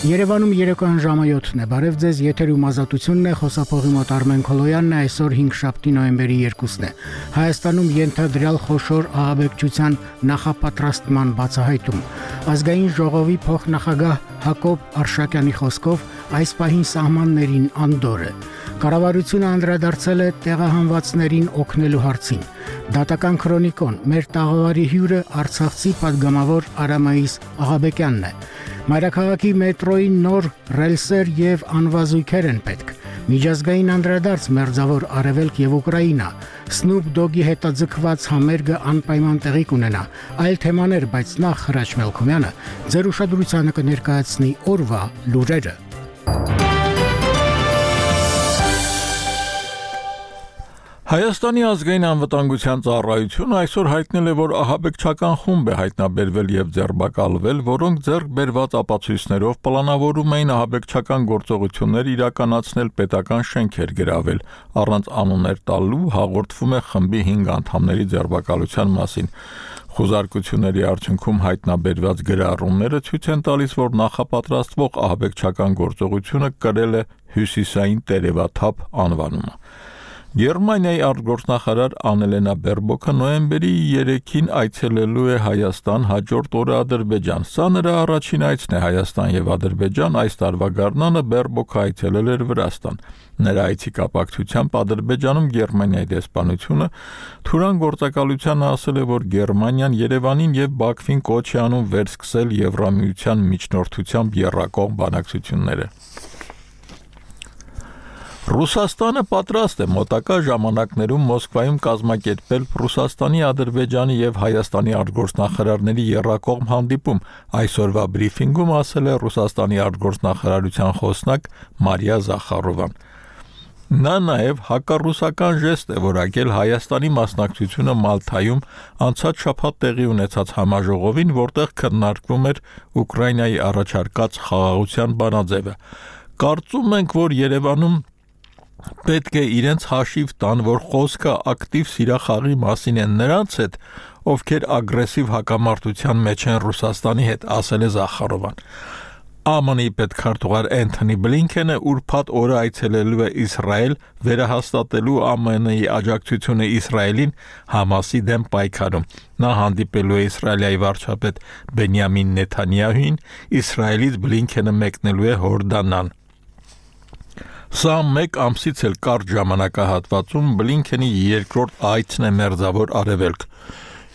Երևանում երեկոյան ժամը 7-ն է, բարև ձեզ, եթերում ազատությունն է, խոսափողի մոտ Արմեն Քոլոյանն է, այսօր 5 նոյեմբերի 2-ն է։ Հայաստանում ենթադրյալ խոշոր ահաբեկչության նախապատրաստման բացահայտում։ Ազգային ժողովի փոխնախագահ Հակոբ Արշակյանի խոսքով այս պահին սահմաններին անդոր է։ Կառավարությունը անդրադարձել է տեղահանվածներին օգնելու հարցին։ Դատական քրոնիկոն մեր տաղավարի հյուրը արցախցի падգամավոր Արամայիս Աղաբեկյանն է։ Մայրաքաղաքի մետրոյի նոր ռելսեր եւ անվազույգեր են պետք։ Միջազգային անդրադարձ Մերձավոր Արևելք եւ Ուկրաինա։ Snoop Dogg-ի հետաձգված համերգը անպայման տեղի կունենա։ Այլ թեմաներ, բայց նախ Հրաչ Մելքոմյանը ձեր ուշադրությանը կներկայացնի օրվա լուրերը։ Հայաստանի ազգային անվտանգության ծառայությունը այսօր հայտնել է, որ ահաբեկչական խումբ է հայտնաբերվել եւ ձերբակալվել, որոնք ձեռք բերված ապացույցներով պլանավորում էին ահաբեկչական գործողություններ իրականացնել, պետական շենքեր գրավել։ Առանց անուններ տալու հաղորդվում է խմբի 5 անդամների ձերբակալության մասին։ Խոզարկությունների արդյունքում հայտնաբերված գրառումները ցույց են տալիս, որ նախապատրաստվող ահաբեկչական գործողությունը կրել է հյուսիսային տերևաթափ անվանումը։ Գերմանիայի արտգործնախարար Անելենա Բերբոկը նոյեմբերի 3-ին այցելելու է Հայաստան, հաջորդ օրը Ադրբեջան։ Սա նրա առաջին այցն է Հայաստան եւ Ադրբեջան, այս տարվա գարնանը Բերբոկը այցելել էր Վրաստան։ Նրա այցի կապակցությամբ Ադրբեջանում Գերմանիայի դեսպանությունը թուրան գործակալությանը ասել է, որ Գերմանիան Երևանին եւ Բաքվին կոչ է անում վերսկսել Եվրամիության միջնորդությամբ եռակողմ բանակցությունները։ Ռուսաստանը պատրաստ է մոտակա ժամանակներում Մոսկվայում կազմակերպել Ռուսաստանի, Ադրբեջանի եւ Հայաստանի արտգործնախարարների եռակողմ հանդիպում։ Այսօրվա բրիֆինգում ասել է Ռուսաստանի արտգործնախարարության խոսնակ Մարիա Զախարովան։ Նա նաև հակառուսական ժեստ է որակել Հայաստանի մասնակցությունը Մալթայում անցած շաբաթ տեղի ունեցած համաժողովին, որտեղ քննարկվում էր Ուկրաինայի առաջարկած խաղաղության բանաձևը։ Կարծում ենք, որ Երևանում պետք է իրենց հաշիվ տան, որ խոսքը ակտիվ սիրախաղի մասին է նրանց հետ, ովքեր ագրեսիվ հակամարտության մեջ են Ռուսաստանի հետ, ասել է Զախարովան։ ԱՄՆ-ի պետքարտուղար Էնթոնի Բլինքենը ուրբաթ օրը այցելելու է Իսրայել, վերահաստատելու ԱՄՆ-ի աջակցությունը Իսրայելին Համասի դեմ պայքարում։ Նա հանդիպելու է Իսրայելի վարչապետ Բենյամին Նեթանյահուին, Իսրայելից Բլինքենը մեկնելու է Հորդանան։ Սա մեկ ամսից էլ կարճ ժամանակահատվածում Բլինքենի երկրորդ այցն է Մերձավոր Արևելք։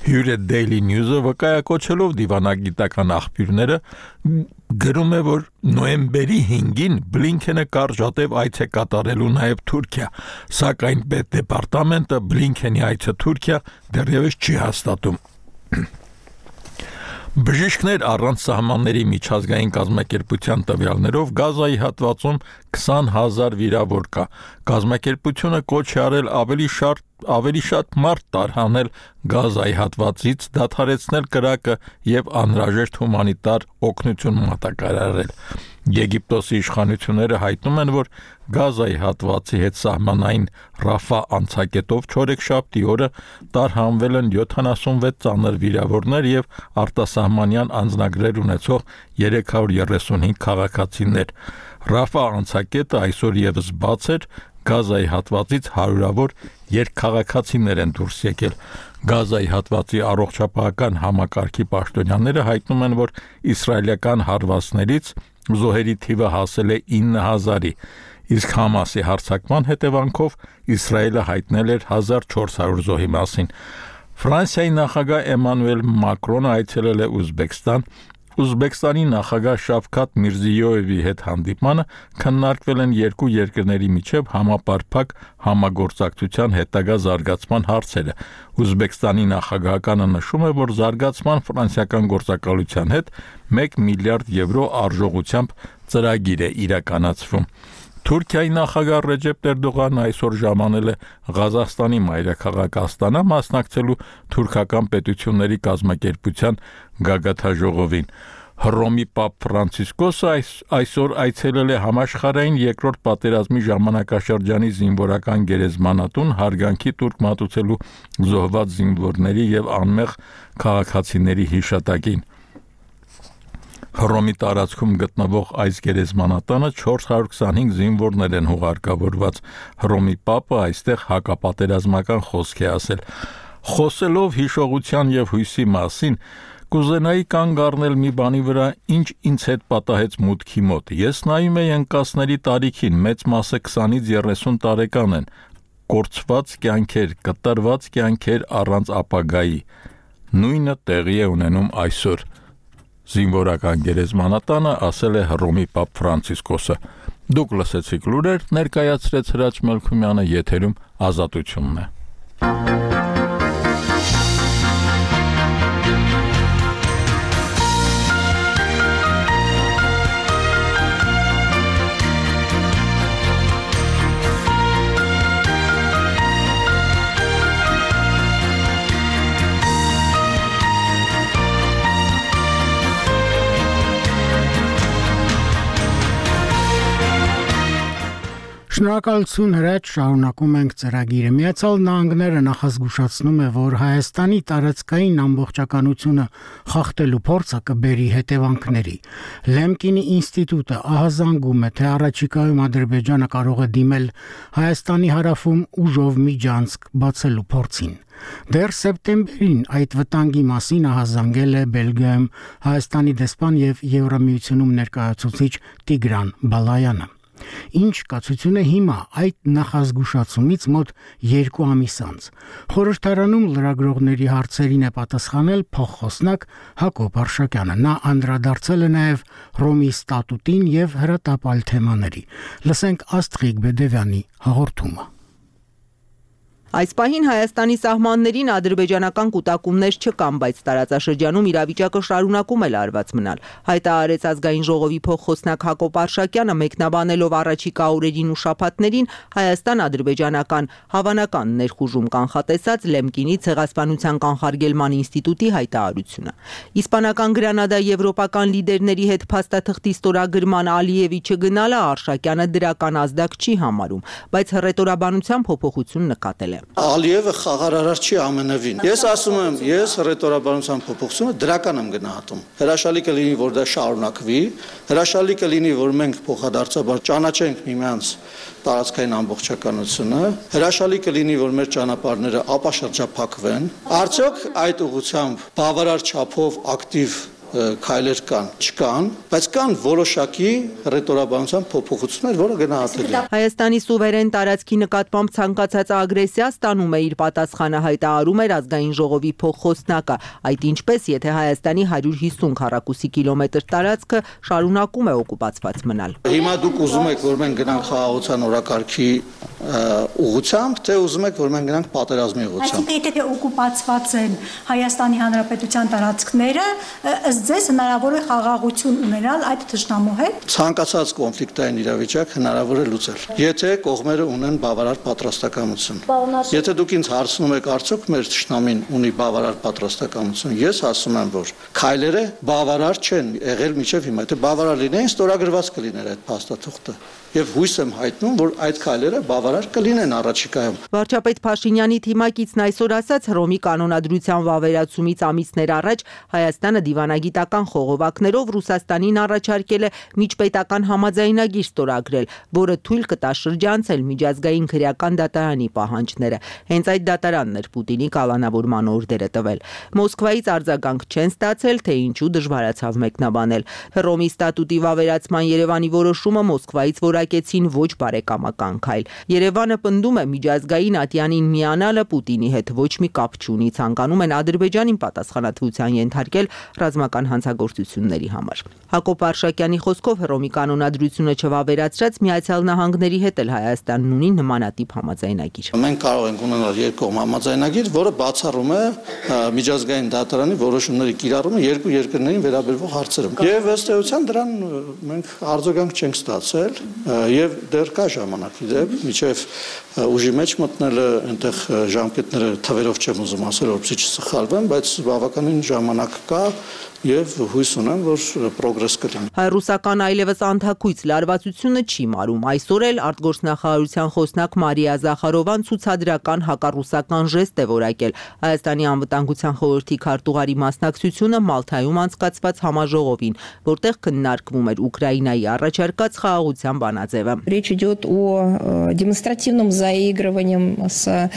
Հյուրը Daily News-ը վկայակոչելով դիվանագիտական աղբյուրները գրում է, որ նոյեմբերի 5-ին Բլինքենը կարճատև այց է կատարելու նաև Թուրքիա, սակայն պետդեպարտամենտը Բլինքենի այցը Թուրքիա դեռևս չի հաստատում։ Բժիշկներ առանց սահմանների միջազգային կազմակերպության տվյալներով Գազայի հատվածում 20,000 վիրավոր կա։ Կազմակերպությունը կոչ է արել ավելի շատ մարդ տարհանել Գազայի հատվածից, դադարեցնել կրակը եւ անհրաժեշտ հումանիտար օգնություն մատակարարել։ Եգիպտոսի իշխանությունները հայտնում են, որ Գազայի հատվածի հետ սահմանային Ռաֆա անցակետով չորեքշաբթի օրը տարհանվել են 76 ծանր վիրավորներ եւ արտասահմանյան անձնագրեր ունեցող 335 քաղաքացիներ։ Ռաֆա անցակետը այսօր եւս բաց էր, Գազայի հատվածից հարյուրավոր երկքաղաքացիներ են դուրս եկել։ Գազայի հատվածի առողջապահական համակարգի պաշտոնյաները հայտնում են, որ իսրայելական հարվածներից զոհերի թիվը հասել է 9,000-ի, իսկ Համասի հարձակման հետևանքով Իսրայելը հայտնել էր 1400 զոհի մասին։ Ֆրանսիայի նախագահ Էմանուել Մակրոնը այցելել է Ուզբեկստան։ Ուզբեկստանի նախագահ Շավքաթ Միրզիյոևի հետ հանդիպմանը քննարկվել են երկու երկրների միջև համապարփակ համագործակցության հետագա զարգացման հարցերը։ Ուզբեկստանի նախագահականը նշում է, որ զարգացման ֆրանսիական գործակալության հետ 1 միլիարդ եվրո արժողությամբ ծրագիր է իրականացվում։ Թուրքիայի նախագահ Ռեջեփ Էրդողանն այսօր ժամանել է Ղազախստանի մայրաքաղաք Աստանա մասնակցելու թուրքական պետությունների կազմակերպության գագաթաժողովին։ Հռոմի Պապ Ֆրանցիսկոսը այսօր այցելել է համաշխարհային երկրորդ պատերազմի ժամանակաշրջանի զինվորական գերեզմանատուն հարգանքի տուրք մատուցելու զոհված զինվորների եւ անմեղ քաղաքացիների հիշատակին։ Հռոմի տարածքում գտնվող այս գերեզմանատանը 425 զինվորներ են հուղարկավորված։ Հռոմի պապը այստեղ հակապատերազմական խոսք է ասել։ Խոսելով հիշողության եւ հույսի մասին, կուզենայի կանգ առնել մի բանի վրա, ինչ ինձ հետ պատահեց մուտքի մոտ։ Ես նայում եի ընկածների տարիքին, մեծ մասը 20-ից 30 տարեկան են, կորցված կյանքեր, կտրված կյանքեր առանց ապագայի։ Նույնը տեղի է ունենում այսօր։ Զինվորական գերեզմանատանը ասել է Հռոմի պապ Ֆրանցիսկոսը։ Դուք լսեցիք լուրեր, ներկայացրեց Հրաչ Մելքումյանը, եթերում Ազատությունն է։ Շնորհակալություն Հրաչ, շարունակում ենք ծրագիրը։ Միացյալ Նահանգները նախազգուշացնում է, որ Հայաստանի տարածքային ամբողջականությունը խախտելու փորձը կբերի հետևանքների։ Լեմկինի ինստիտուտը ահազանգում է, թե առաջիկայում Ադրբեջանը կարող է դիմել Հայաստանի հարավում ուժով միջանցք բացելու փորձին։ Դեռ սեպտեմբերին այդ վտանգի մասին ահազանգել է Բելգիայում Հայաստանի դեսպան եւ Եվրամիությունում ներկայացուցիչ Տիգրան Բալայանը։ Ինչ կացություն է հիմա այդ նախազգուշացումից մոտ 2 ամիս անց։ Խորհրդարանում լրագրողների հարցերին է պատասխանել փոխխոսնակ Հակոբ Արշակյանը։ Նա անդրադարձել է նաև Հռոմի ստատուտին եւ հրատապալ թեմաների։ Լսենք Աստղիկ Բեդևյանի հաղորդումը։ Այս պահին Հայաստանի սահմաններին ադրբեջանական կուտակումներ չկան, բայց տարածաշրջանում իրավիճակը շարունակում է լարված մնալ։ Հայտարարեց ազգային ժողովի փոխխոսնակ Հակոբ Արշակյանը, մեկնաբանելով առաջիկա օրերին ու շաբաթներին Հայաստան-ադրբեջանական հավանական ներխուժում կանխատեսած Լեմկինի ցեղասպանության կանխարգելման ինստիտուտի հայտարարությունը։ Իսպանական Գրանադա եվրոպական լիդերների հետ փաստաթղթի ստորագրման Ալիևի չգնալը Արշակյանը դրական ազդակ չի համարում, բայց հռետորաբանության փոփոխություն նկատել է։ Ալիևը խաղարարար չի ամենևին։ Ես ասում եմ, ես հռետորաբանության փոփոխությունը դրական եմ գնահատում։ Հրաշալի կլինի, որ դա շարունակվի, հրաշալի կլինի, որ մենք փոխադարձաբար ճանաչենք միմյանց տարածքային ամբողջականությունը, հրաշալի կլինի, որ մեր ճանապարհները ապաշրջափակվեն։ Արդյոք այդ ուղղությամբ բավարար չափով ակտիվ քայլեր կան, չկան, բայց կան որոշակի հռետորաբանության փոփոխություններ, որը գնահատելի է։ Հայաստանի սուվերեն տարածքի նկատմամբ ցանկացած ագրեսիա ստանում է իր պատասխանը, հայտարարում էր ազգային ժողովի փոխխոսնակը, այդ ինչպես, եթե Հայաստանի 150 քառակուսի կիլոմետր տարածքը շարունակում է օկուպացված մնալ։ Հիմա դուք ուզում եք, որ մենք գնանք խաղաղության օրակարգի ուղղությամբ, թե ուզում եք, որ մենք գնանք պատերազմի ուղղությամբ։ Այսինքն, եթե օկուպացված են Հայաստանի Հանրապետության տարածքները, ձեզ հնարավոր է խաղաղություն ունենալ այդ թշնամու հետ։ Ցանկացած կոնֆլիկտային իրավիճակ հնարավոր է լուծել, եթե կողմերը ունեն բավարար պատրաստակամություն։ Եթե դուք ինձ հարցնում եք, արդյոք մեր թշնամին ունի բավարար պատրաստակամություն, ես ասում եմ, որ քայլերը բավարար չեն եղել մինչև հիմա։ Եթե բավարար լինեին, ստորագրված կլիներ այդ փաստաթուղթը։ Եվ հույս եմ հայտնում, որ այդ քայլերը բավարար կլինեն առաջիկայում։ Վարչապետ Փաշինյանի թիմակիցն այսօր ասաց, Հռոմի կանոնադրության վավերացումից ամիսներ առաջ Հայաստանը դիվանագիտական խողովակներով Ռուսաստանին առաջարկել է միջպետական համաձայնագիր ստորագրել, որը թույլ կտա շրջանցել միջազգային քրեական դատարանի պահանջները։ Հենց այդ դատարանն էր Պուտինի կալանավորման օրդերը տվել։ Մոսկվայից արձագանք չեն ստացել, թե ինչու դժվարացավ մեկնաբանել։ Հռոմի ստատուտի վավերացման Երևանի որոշումը Մոսկվայից որակեցին ոչ բարեկամական քայլ։ Երևանը պնդում է միջազգային ատյանին միանալը Պուտինի հետ ոչ մի կապ չունի, ցանկանում են Ադրբեջանին պատասխանատվության ենթարկել ռազմական հանցագործությունների համար։ Հակոբ Արշակյանի խոսքով Հռոմի կանոնադրությունը չվավերացրած Միացյալ Նահանգների հետ էլ Հայաստանն ունի նմանատիպ համաձայնագիր։ Մենք կարող ենք ունենալ երկկողմ համաձայնագիր, որը բացառում է միջազգային դատարանի որոշումների կիրառումը երկու երկրներին վերաբերող հարցերում։ Եվ ըստ էության դրան մենք արձագանք չենք ստացել, եւ դեռ կա ժամանակ, իդեպ, մինչեւ ուժի մեջ մտնելը այնտեղ ժամկետները թվերով չեմ ուզում ասել, որպեսզի չսխալվեմ, բայց բավականին ժամանակ կա եւ հույս ունեմ, որ պրոգրես կլինի։ Հայ-ռուսական այլևս անթաքույց լարվածությունը չի մարում։ Այսօր էլ արտգործնախարարության խոսնակ Մարիա Զախարովան ցուցադրական հակառուսական ժեստ է որակել Հայաստանի անվտանգության խորհրդի քարտուղարի մասնակցությունը Մալթայում անցկացված համաժողովին, որտեղ քննարկվում էր Ուկրաինայի առաջարկած խաղաղության բանաձևը։ Речь идет о демонстративном заигрывании с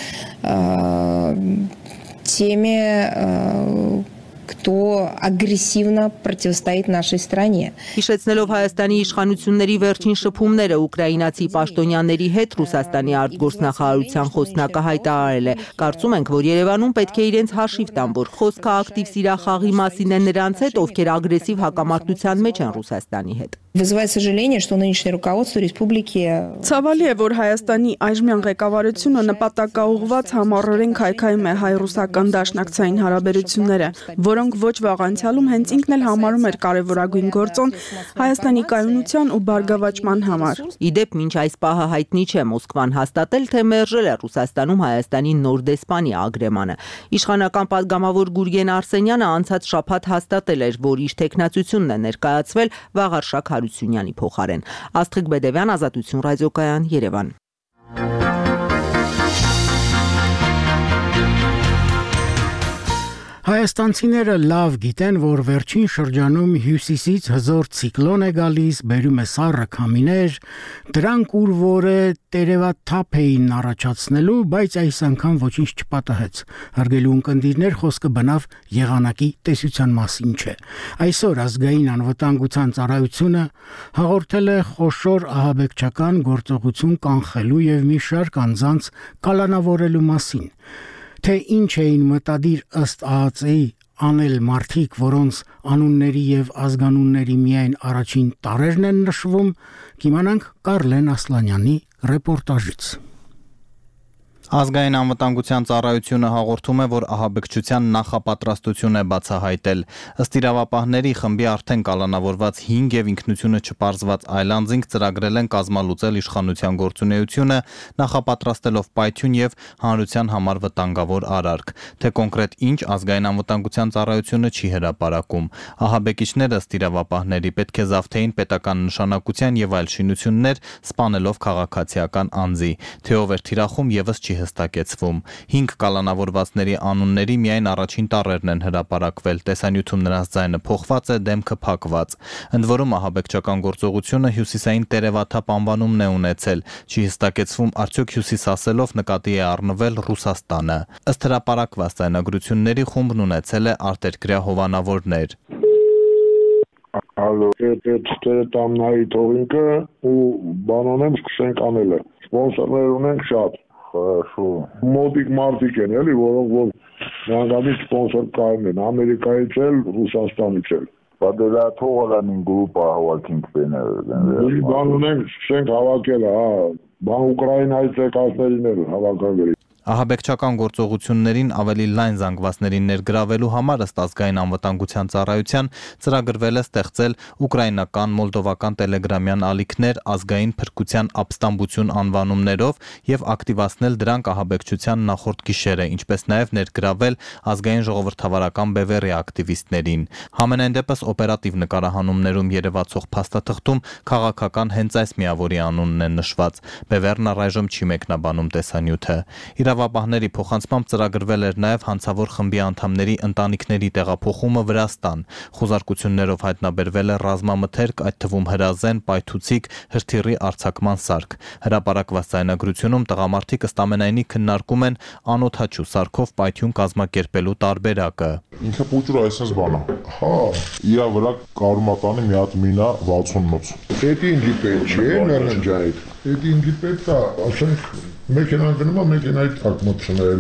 теми, кто агрессивно противостоит нашей стране. Հիշեցնելով Հայաստանի իշխանությունների վերջին շփումները ուկրաինացի պաշտոնյաների հետ Ռուսաստանի արտգործնախարարության խոսնակը հայտարարել է. Կարծում ենք, որ Երևանում պետք է իրենց հաշիվ տան, որ խոսքը ակտիվ սիրախաղի մասին է նրանց հետ, ովքեր ագրեսիվ հակամարտության մեջ են Ռուսաստանի հետ։ Вызывает сожаление, что нынешнее руководство республики Ցավալի է, որ Հայաստանի այժմյան ղեկավարությունը նպատակաուղղված համառորեն քայքայում է հայ-ռուսական դաշնակցային հարաբերությունները, որոնք ոչ վաղ անցյալում հենց ինքն էլ համարում էր կարևորագույն գործոն Հայաստանի կայունության ու բարգավաճման համար։ Իդեպ մինչ այս պահը հայտնի չէ Մոսկվան հաստատել, թե մերժել է Ռուսաստանում Հայաստանի նոր դեսպանի ագրեմանը։ Իշխանական պատգամավոր Գուրգեն Արսենյանը անցած շաբաթ հաստատել էր, որ իր տեխնացությունն է ներկայացվել Վաղարշակ Հարությունյանի փոխարեն։ Աստղիկ Բեդևյան, Ազատություն ռադիոկայան, Երևան։ Հայաստանցիները լավ գիտեն, որ վերջին շրջանում հյուսիսից հզոր ցիկլոն է գալիս, բերում է սառը քամիներ, դրանք ուր որ է տերևաթափ էին առաջացնելու, բայց այս անգամ ոչինչ չպատահեց։ Հարգելի ունկնդիրներ, խոսքը բնավ եղանակի տեսության մասին չէ։ Այսօր ազգային անվտանգության ծառայությունը հաղորդել է խոշոր ահաբեկչական գործողություն կանխելու եւ մի շարք անձանց կալանավորելու մասին։ Թե ինչ էին մտադիր ըստ ԱԱԾ-ի անել մարդիկ, որոնց անունների եւ ազգանունների միայն առաջին տառերն են նշվում, կիմանանք Կարլեն Ասլանյանի ռեպորտաժից։ Ազգային անվտանգության ծառայությունը հաղորդում է, որ ահաբեկչության նախապատրաստություն է բացահայտել։ Ըստ իրավապահների խմբի արդեն կալանավորված 5 եւ ինքնությունը չպարզված այլ անձինք ծրագրել են կազմալուծել իշխանության գործունեությունը, նախապատրաստելով պայթյուն եւ հանրության համար վտանգավոր արարք։ Թե կոնկրետ ինչ ազգային անվտանգության ծառայությունը չի հրապարակում։ Ահաբեկիչները ըստ իրավապահների պետք է զավթեին պետական նշանակության եւ այլ շինություններ, սպանելով քաղաքացիական անձի։ Թե ով էր թիրախում եւս չի հստակեցվում։ 5 կալանավորվածների անունների միայն առաջին տառերն են հրապարակվել, տեսանյութում նրանց ձայնը փոխված է, դեմքը փակված։ Ընդ որում ահաբեկչական գործողությունը հյուսիսային տերևաթափ անվանումն է ունեցել, չի հստակեցվում արդյոք հյուսիս ասելով նկատի է առնվել Ռուսաստանը։ Ըստ հրապարակված ձայնագրությունների խումբն ունեցել է արտերկրյա հովանավորներ։ Ալո, տամնայի թողինքը ու բանոնեմ սկսենք անելը։ Սպոնսորներ ունենք շատ։ Хорошо. Մոտիկ մարդիկ են, էլի, որոնք որ միանգամից սպոնսոր կայուն են, Ամերիկայից էլ, Ռուսաստանից էլ։ Պատելա թողալանին գրուպա հավաքինք բեներ։ Բան ունենք, սկսենք հավաքել, բան Ուկրաինայից եկածներին էլ հավաքագրի։ Ահաբեկչական գործողություններին ավելի լայն զանգվածներին ներգրավելու համար ըստ ազգային անվտանգության ծառայության ծրագրվել է ստեղծել ուկրաինական, մոլդովական տելեգրամյան ալիքներ ազգային փրկության ապստամբություն անվանումներով եւ ակտիվացնել դրանք ահաբեկչության նախորդ գիշերը, ինչպես նաեւ ներգրավել ազգային ժողովրդավարական բևեռի ակտիվիստներին։ Համենայն դեպս օպերատիվ նկարահանումներում երևացող փաստաթղթում քաղաքական հենց այս միավորի անունն է նշված։ Բևեռն առայժմ չի մեկնաբանում տեսանյութը։ Իրավապահների փոխանցմամբ ծրագրվել էր նաև հանցավոր խմբի անդամների ընտանիքների տեղափոխումը Վրաստան։ Խոզարկություններով հայտնաբերվել է ռազմամթերք, այդ թվում հրազեն, պայթուցիկ, հրթիռի արձակման սարք։ Հրապարակված ձայնագրությունում տղամարդիկ ըստ ամենայնի քննարկում են անօդաչու սարքով պայթյուն կազմակերպելու տարբերակը։ Ինքը փոքր այսպես բան է։ Հա, իրա վրա կարմատանի մի հատ մինա 60-ից։ Դա ինձի պետք չէ, նարնջայդ։ Դա ինձի պետք է, ասենք մեքենան գնում է մեքենայի տակ մտցնել։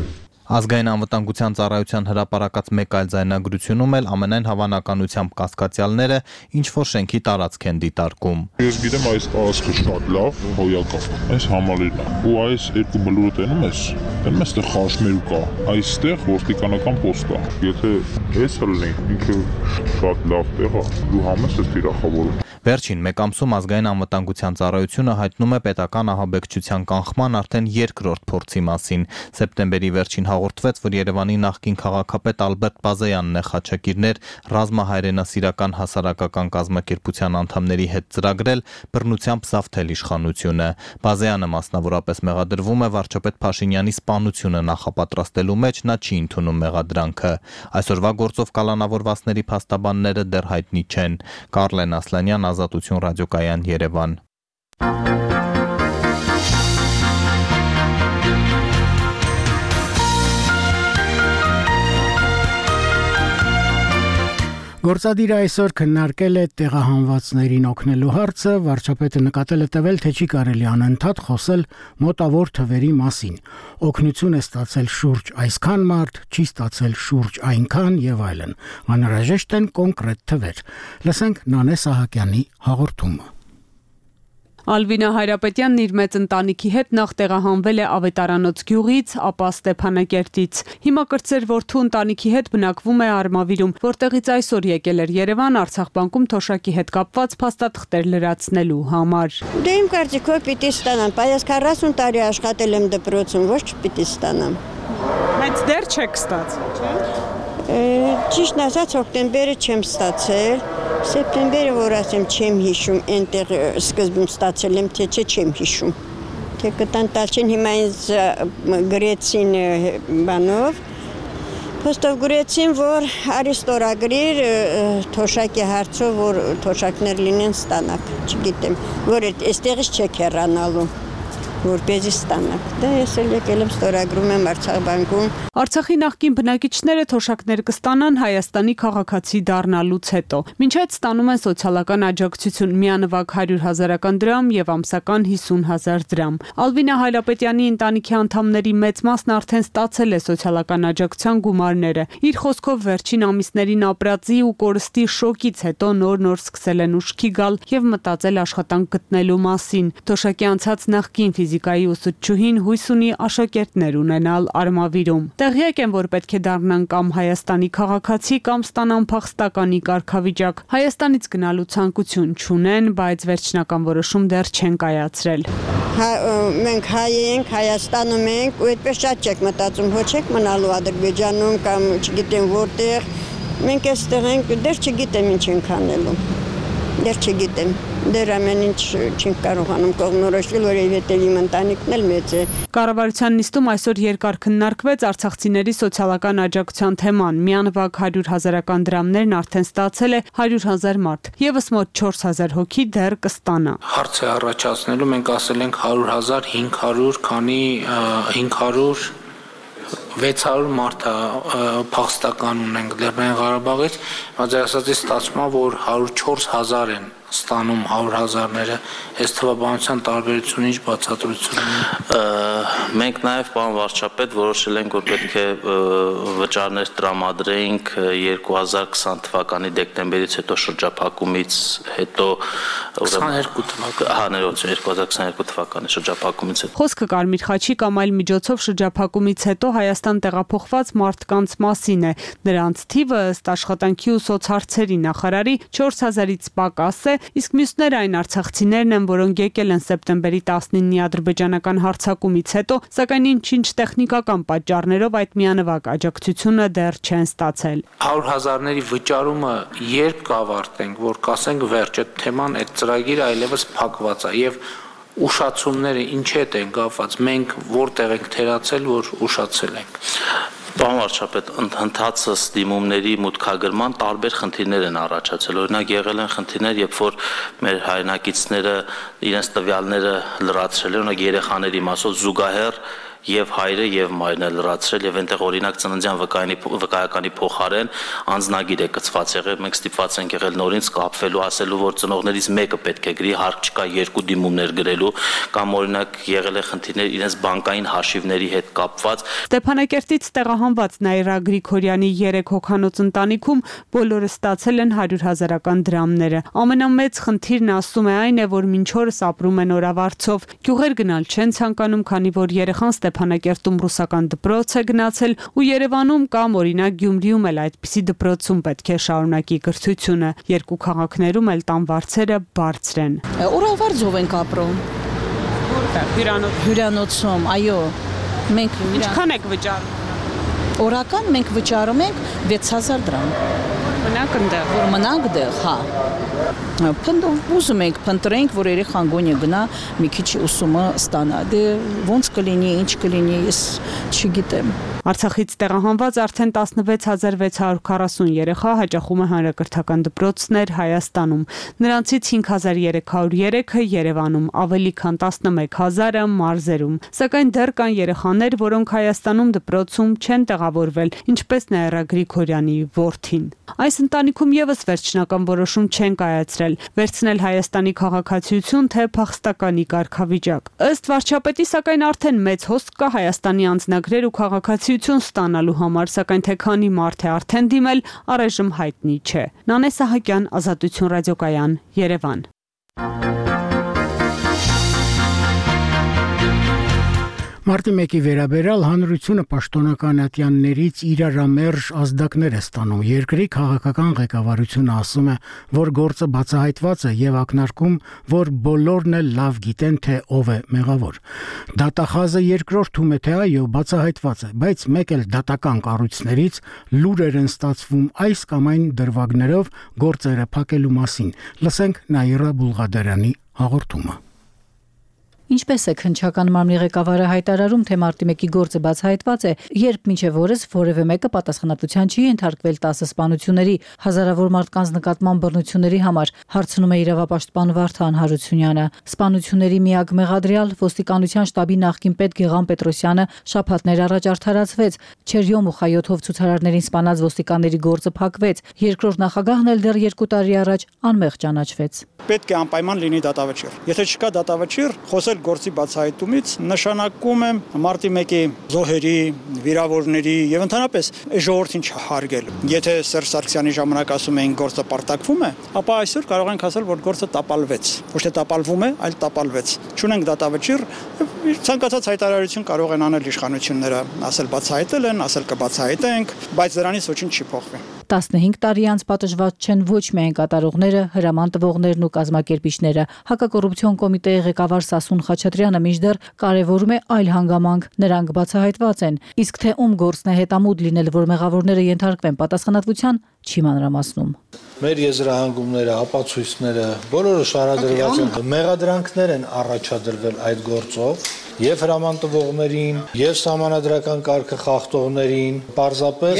Ազգային անվտանգության ծառայության հրապարակած մեկ այլ ձայնագրությունում էլ ամենայն հավանականությամբ կասկածյալները ինչ-որ շենքի տարածք են դիտարկում։ Ես գիտեմ այս տարածքը շատ լավ, հոյակապ, այս համալիրն է։ Ու այս երկու բլուրը տենում ես, այստեղ խաշմերուկ կա, այստեղ ոստիկանական պոստ կա։ Եթե էս լինի, ինքը շատ լավ տեղ է, դու համես ես թիրախավորում։ Վերջին մեկ ամսում ազգային անվտանգության ծառայությունը հայտնում է պետական ահաբեկչության կանխման արդեն երկրորդ փորձի մասին։ Սեպտեմբերի վերջին հաղորդվեց, որ Երևանի նախկին քաղաքապետ Ալբերտ Բազեյանն է խաչակիրներ ռազմահայրենասիրական հասարակական կազմակերպության անդամների հետ ծրագրել բռնությամբ զավթել իշխանությունը։ Բազեյանը մասնավորապես մեղադրվում է վարչապետ Փաշինյանի սպանությունը նախապատրաստելու մեջ, նա չի ընդունում մեղադրանքը։ Այսօրվա գործով կալանավորվածների փաստաբանները դեռ հայտնի չեն։ Կարլեն Ասլանյան, Ազատություն ռադիոկայան, Երևան։ Գործադիրը այսօր քննարկել է տեղահանվածներին օգնելու հարցը, վարչապետը նկատել է տվել, թե չի կարելի անընդհատ խոսել մոտավոր թվերի մասին։ Օգնություն է ստացել շուրջ այսքան մարդ, չի ստացել շուրջ այնքան եւ այլն։ Անհրաժեշտ են կոնկրետ թվեր։ Լսենք Նանե Սահակյանի հաղորդումը։ Ալվինա Հայրապետյանն իր մեծ ընտանիքի հետ նախ տեղահանվել է Ավետարանոց գյուղից, ապա Ստեփանակերտից։ Հիմա կրտսեր որդու ընտանիքի հետ բնակվում է Արմավիրում, որտեղից այսօր եկել էր Երևան Արցախ բանկում թոշակի հետ կապված փաստաթղթեր լրացնելու համար։ Դե իմ կարծիքով պիտի ստանամ, բայց 40 տարի աշխատել եմ դպրոցում, ոչ պիտի ստանամ։ Բայց դեռ չեք ստացել, չէ՞։ Ճիշտն ասած, հոկտեմբերը չեմ ստացել, սեպտեմբերը, որ ասեմ, չեմ հիշում, այնտեղ սկզբում ստացել եմ, թե չեմ հիշում։ Թե կտան տալ չեն, հիմա ինձ գրեցին բանով, փոստով գրեցին, որ արի ստորագրիր թոշակի հարցով, որ թոշակներ լինեն ստանաք, չգիտեմ, որ այստեղից չեք հեռանալու։ Որպեսզի ստանաք։ Դա ես էլ եկել եմ ստորագրում եմ Արցախ բանկում։ Արցախի նախկին բնակիչները թոշակներ կստանան Հայաստանի քաղաքացի դառնալուց հետո։ Մինչ այդ ստանում են սոցիալական աջակցություն՝ միանվագ 100,000 դրամ եւ ամսական 50,000 դրամ։ Ալվինա Հայրապետյանի ընտանիքի անդամների մեծ մասն արդեն ստացել է սոցիալական աջակցության գումարները։ Իր խոսքով վերջին ամիսներին ապրածի ու կորստի շոկից հետո նոր սկսել են ուշքի գալ եւ մտածել աշխատանք գտնելու մասին։ Թոշակի անցած նախկին ֆիզիկայի ուսուցչուհին հույս ունի աշակերտներ ունենալ Արմավիրում։ Տեղյակ են, որ պետք է դառնան կամ Հայաստանի քաղաքացի կամ ստանան փախստականի կարգավիճակ։ Հայաստանից գնալու ցանկություն չունեն, բայց վերջնական որոշում դեռ չեն կայացրել։ Մենք հայ ենք, Հայաստանում ենք, ու այդպես շատ չեք մտածում, ոչ եք մնալու Ադրբեջանում կամ չգիտեմ որտեղ։ Մենք այստեղ ենք, դեռ չգիտեմ ինչ ենք անելու։ Դեռ չգիտեմ, դեռ ամեն ինչ չենք կարողանում կողմնորոշվել, որովհետև իմ ընտանիքն էլ մեծ է։ Կառավարության նիստում այսօր երկար քննարկվեց արցախցիների սոցիալական աջակցության թեման։ Միանվագ 100,000 դրամներն արդեն ստացել է 100,000 մարդ, եւս մոտ 4,000 հոգի դեռ կստանա։ Հարց է առաջացնելու, մենք ասել ենք 100,000, 500, քանի 500 600 մարդը փախստական ունենք Լեռնային Ղարաբաղից, բայց ասածից ստացվում է, որ 104,000 են ստանում 100,000-ները, այս թվաբանության տարբերությունը ինչ բացատրություն ունի։ Մենք նաև պարոն վարչապետ որոշել ենք, որ պետք է վճարներ տրամադրեինք 2020 թվականի դեկտեմբերից հետո շրջափակումից հետո 22 թվականի 2022 թվականի շրջափակումից հետո։ Խոսքը Կարմիր խաչի կամ այլ միջոցով շրջափակումից հետո Հայաստան տեղափոխված մարդկանց մասին է։ Նրանց թիվը ըստ աշխատանքի ու սոցհարցերի նախարարի 4,000-ից պակաս է, իսկ մյուսները այն արցախցիներն են, որոնք եկել են սեպտեմբերի 19-ի ադրբեջանական հարձակումից հետո, սակայն ինչ տեխնիկական պատճառներով այդ միանվագ աջակցությունը դեռ չեն ստացել։ 100,000-ների վճարումը երբ կավարտենք, որ կասենք վերջ, այդ թեման, այդ ծրագիրը այլևս փակված է եւ ուշացումները ինչ հետ են կապված, մենք որտեղ ենք թերացել, որ ուշացել ենք։ Պարոն վարչապետ, ընդհանրացած դիմումների մուտքագրման տարբեր խնդիրներ են առաջացել։ Օրինակ եղել են խնդիրներ, երբ որ մեր հայրենակիցները իրենց տվյալները լրացրել են, օրինակ երեխաների մասով զուգահեռ եւ հայրը եւ մայրն է լրացրել եւ այնտեղ օրինակ ծննդյան վկայականի փոխարեն անձնագիր է կցված եղել, մենք ստիպված ենք եղել նորից կապվելու, ասելու, որ ծնողներից մեկը պետք է գրի, հարկ չկա երկու դիմումներ գրելու, կամ օրինակ եղել է խնդիրներ իրենց բանկային հաշիվների հետ կապված։ Ստեփանակերտից տեղահանված Նաիրա Գրիգորյանի 3 հոգանոց ընտանիքում բոլորը ստացել են 100,000 դրամները։ Ամենամեծ խնդիրն ասում է այն է, որ մինչ օրս ապրում են օրավարձով, գյուղեր գնալ չեն ցանկանում, քանի որ երեխան Ստեփանակերտում ռուսական դպրոց է գնացել ու Երևանում կամ օրինակ Գյումրիում էլ այդպիսի դպրոցում պետք է շարունակի կրթությունը։ Երկու քաղաքներում էլ տան վարձերը բարձր են։ Օրավարձով ենք ապրում։ Որտեղ? Հյուրանոցում, այո։ Մենք ինչքան եք վճարում։ Օրական մենք վճարում ենք 6000 դրամ։ Մնաք ընդեղ։ Որ մնանք դեղ, հա։ Ուզում ենք փնտրենք, որ երեխան գոնե գնա մի քիչ ուսումը ստանա։ Դե ոնց կլինի, ինչ կլինի, ես չգիտեմ։ Արցախից տեղահանված արդեն 16640 երեխա հաճախում է հանրակրթական դպրոցներ Հայաստանում։ Նրանցից 5303-ը Երևանում, ավելի քան 11000-ը մարզերում։ Սակայն դեռ կան երեխաներ, որոնք Հայաստանում դպրոցում չեն տեղավորվել, ինչպես Նաիրա Գրիգորյանի որդին։ Այս ընտանիքում եւս վերջնական որոշում չեն կայացրել՝ վերցնել Հայաստանի քաղաքացիություն թե փախստականի կարգավիճակ։ Ըստ վարչապետի, սակայն արդեն մեծ հոսք կա Հայաստանի անձնագրեր ու քաղաքացիություն ստանալու համար, սակայն թե քանի մարդ է արդեն դիմել, առայժմ հայտնի չէ։ Նանե Սահակյան, Ազատություն ռադիոկայան, Երևան։ Մարտի 1-ի վերաբերյալ հանրությունը պաշտոնական ատյաններից իրարամերժ ազդակներ է ստանում։ Երկրի քաղաքական ղեկավարությունը ասում է, որ գործը բացահայտված է եւ ակնարկում, որ բոլորն էլ լավ գիտեն, թե ով է մեղավոր։ Դատախազը երկրորդում է, թե այո, բացահայտված է, բայց մեկ էլ դատական կառույցներից լուրեր են ստացվում այս կամ այն դրվագներով գործերը փակելու մասին։ Լսենք Նաիրա Բուլղադարյանի հաղորդումը։ Ինչպես է քննչական մարմնի ղեկավարը հայտարարում, թե մարտի 1-ի գործը բացահայտված է, երբ մինչև օրս որևէ մեկը պատասխանատվության չի ենթարկվել 10 սպանությունների, հազարավոր մարդկանց նկատմամբ բռնությունների համար, հարցնում է իրավապաշտպան Վարդան Հարությունյանը։ Սպանությունների միակ մեղադրյալ ոստիկանության շտաբի նախկին պետ Գեղամ Պետրոսյանը շաբաթներ առաջ արդարացվեց, Չերյոմ ու Խայոթով ցուցարարներին սպանած ոստիկանների գործը փակվեց։ Երկրորդ նախագահն էլ դեռ 2 տարի առաջ անմեղ ճանաչվեց։ Պետք է անպայման լինի դատավճիռ։ Եթե չկա դատավճիռ, խոսել գործի բացահայտումից նշանակում է մարտի 1-ի զոհերի, վիրավորների եւ ընդհանրապես ժողովրդին չհարգել։ Եթե Սերժ Սարգսյանի ժամանակ ասում էին գործը պարտակվում է, ապա այսօր կարող ենք ասել, որ գործը տապալվեց։ Ոչ թե տապալվում է, այլ տապալվեց։ Չունենք դատավճիռ, ցանկացած հայտարարություն կարող են անել իշխանությունները, ասել բացահայտել են, ասել կբացահայտենք, բայց դրանից ոչինչ չի փոխվի։ 15 տարի անց պատժված չեն ոչ միայն կատարողները, հրաման տվողներն ու կազմակերպիչները։ Հակակոռուպցիոն կոմիտեի ղեկավար Սասուն Խաչատրյանը մինչդեռ կարևորում է այլ հանգամանք, նրանք բացահայտված են, իսկ թե ում գործն է հետամուտ լինել, որ մեղավորները ենթարկվեն պատասխանատվության, չի մանրամասնում։ Մեր եզրահանգումները, ապացույցները, բոլորը շարադրված են, մեղադրանքներ են առաջադրվել այդ գործով եւ հրաման տվողներին, եւ սահմանադրական կարգը խախտողներին, պարզապես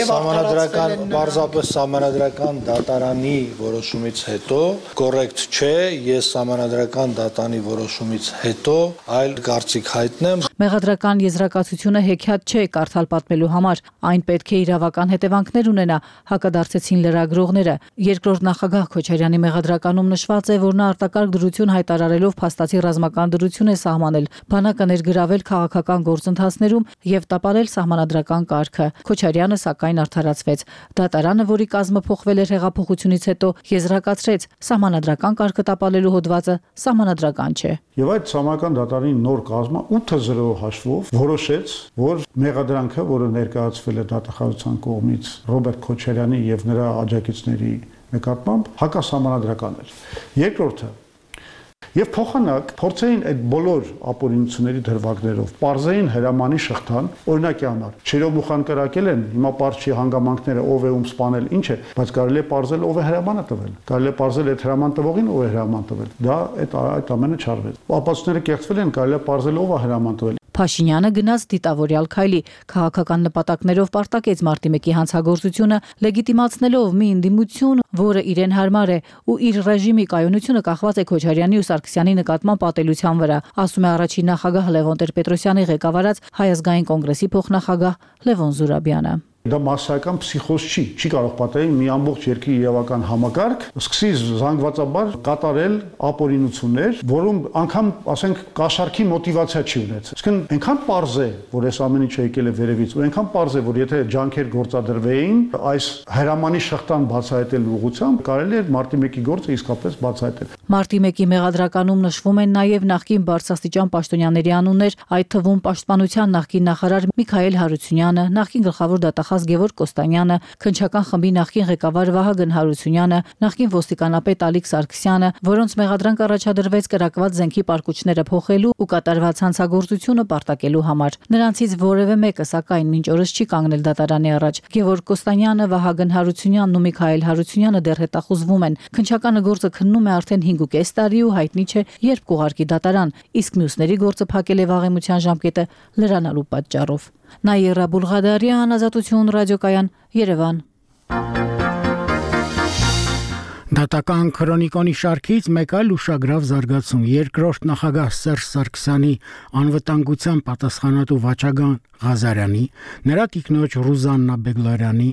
սահմանադրական դատարանի որոշումից հետո կոռեկտ չէ, ես սահմանադրական դատանի որոշումից հետո այլ կարծիք հայտնեմ։ Մեղադրական եզրակացությունը հեքիաթ չէ կարդալ պատմելու համար, այն պետք է իրավական հետևանքներ ունենա, հակադարձեցին լրագրողները։ Երկրորդ նախագահ Քոչարյանի մեղադրականում նշված է, որ նա արտակարգ դրություն հայտարարելով փաստացի ռազմական դրություն է սահմանել, բանակը գրավել քաղաքական գործընթացներում եւ տապալել սահմանադրական կարգը։ Քոչարյանը սակայն արդարացվեց։ Դատարանը, որի կազմը փոխվել էր հեղափոխությունից հետո, եզրակացրեց, սահմանադրական կարգը տապալելու հոդվածը սահմանադրական չէ։ Եվ այդ սահմանադրական դատարանի նոր կազմը 8-0 հաշվով որոշեց, որ մեղադրանքը, որը ներկայացվել է դատախազության կողմից Ռոբերտ Քոչարյանի եւ նրա աջակիցների նկատմամբ, հակասահմանադրական էր։ Երկրորդը Եվ փոխանակ փորձեին այդ բոլոր ապօրինությունների դրվագներով պարզեին հրամանի շղթան, օրինակի համար Չերյոմ ու Խանկարակել են, հիմա պարզ չի հանգամանքները ով է ում սպանել, ինչ է, բայց կարելի է պարզել ով է հրամանը տվել, կարելի է պարզել այդ հրաման տվողին ով է հրաման տվել, դա այդ ամենը չարվեց։ Ապացույցները կեղծվել են, կարելի է պարզել ով է հրաման տվել։ Փաշինյանը գնաց դիտավորյալ քայլի, քաղաքական նպատակներով պարտակեց մարտի 1-ի հանցագործությունը, լեգիտիմացնելով մի ընդդիմություն, որը իրեն հարմար է, ու իր ռեժիմի կայունությունը կախված է Քոչարյանի ու Սարգսյանի նկատմամբ պատելության վրա, ասում է առաջին նախագահ Լևոն Տեր-Պետրոսյանի ղեկավարած Հայ ազգային կոնգրեսի փոխնախագահ Լևոն Զուրաբյանը։ Դա massայական փսիխոզ չի կարող պատահել մի ամբողջ երկրի իրավական համակարգ սկսի զանգվածաբար կատարել ապօրինություններ, որում անգամ, ասենք, կաշառքի մոտիվացիա չի ունեցել։ Իսկն այնքան պարզ է, որ այս ամեն ինչը եկել է վերևից, ու այնքան պարզ է, որ եթե ջանքեր գործադրվեին, այս հրամանի շղթան բացահայտելու ուղղությամբ կարելի է մարտի 1-ի գործը իսկապես բացահայտել։ Մարտի 1-ի մեղադրականում նշվում են նաև նախկին բարձրաստիճան պաշտոնյաների անուններ, այդ թվում պաշտպանության նախկին նախարար Միքայել Հարությունյանը, նախկին գլխավոր դատախազ Գևորգ Կոստանյանը, քննչական խմբի նախկին ղեկավար Վահագն Հարությունյանը, նախկին ոստիկանապետ Ալիկ Սարգսյանը, որոնց մեղադրանք առաջադրվեց կրակված զենքի պարկուճները փոխելու ու կատարված հանցագործությունը պարտակելու համար։ Նրանցից որևէ մեկը, սակայն, մինչ օրս չի կանգնել դատարանի առաջ։ Գևորգ Կոստանյանը, Վահագն Հարությունյանն ու Միքայել Հարությունյանը դեռ հետախուզվում են։ Քննչականը գործը քննում է արդեն 5.5 տարի ու հայտնի չէ, երբ կուղարկի դատարան, իսկ մյուսների գործը փակել է վաղեմության ժամկետը լրանալու պատճառով։ Նաիրա Բուլղադարյան, Ազատություն ռադիոկայան, Երևան։ Դատական քրոնիկոնի շարքից մեկ այլ ուշագրավ զարգացում երկրորդ նախագահ Սերժ Սարգսյանի անվտանգության պատասխանատու Վաչագան Ղազարյանի, նրա տիկնոջ Ռուզաննա Բեգլարյանի,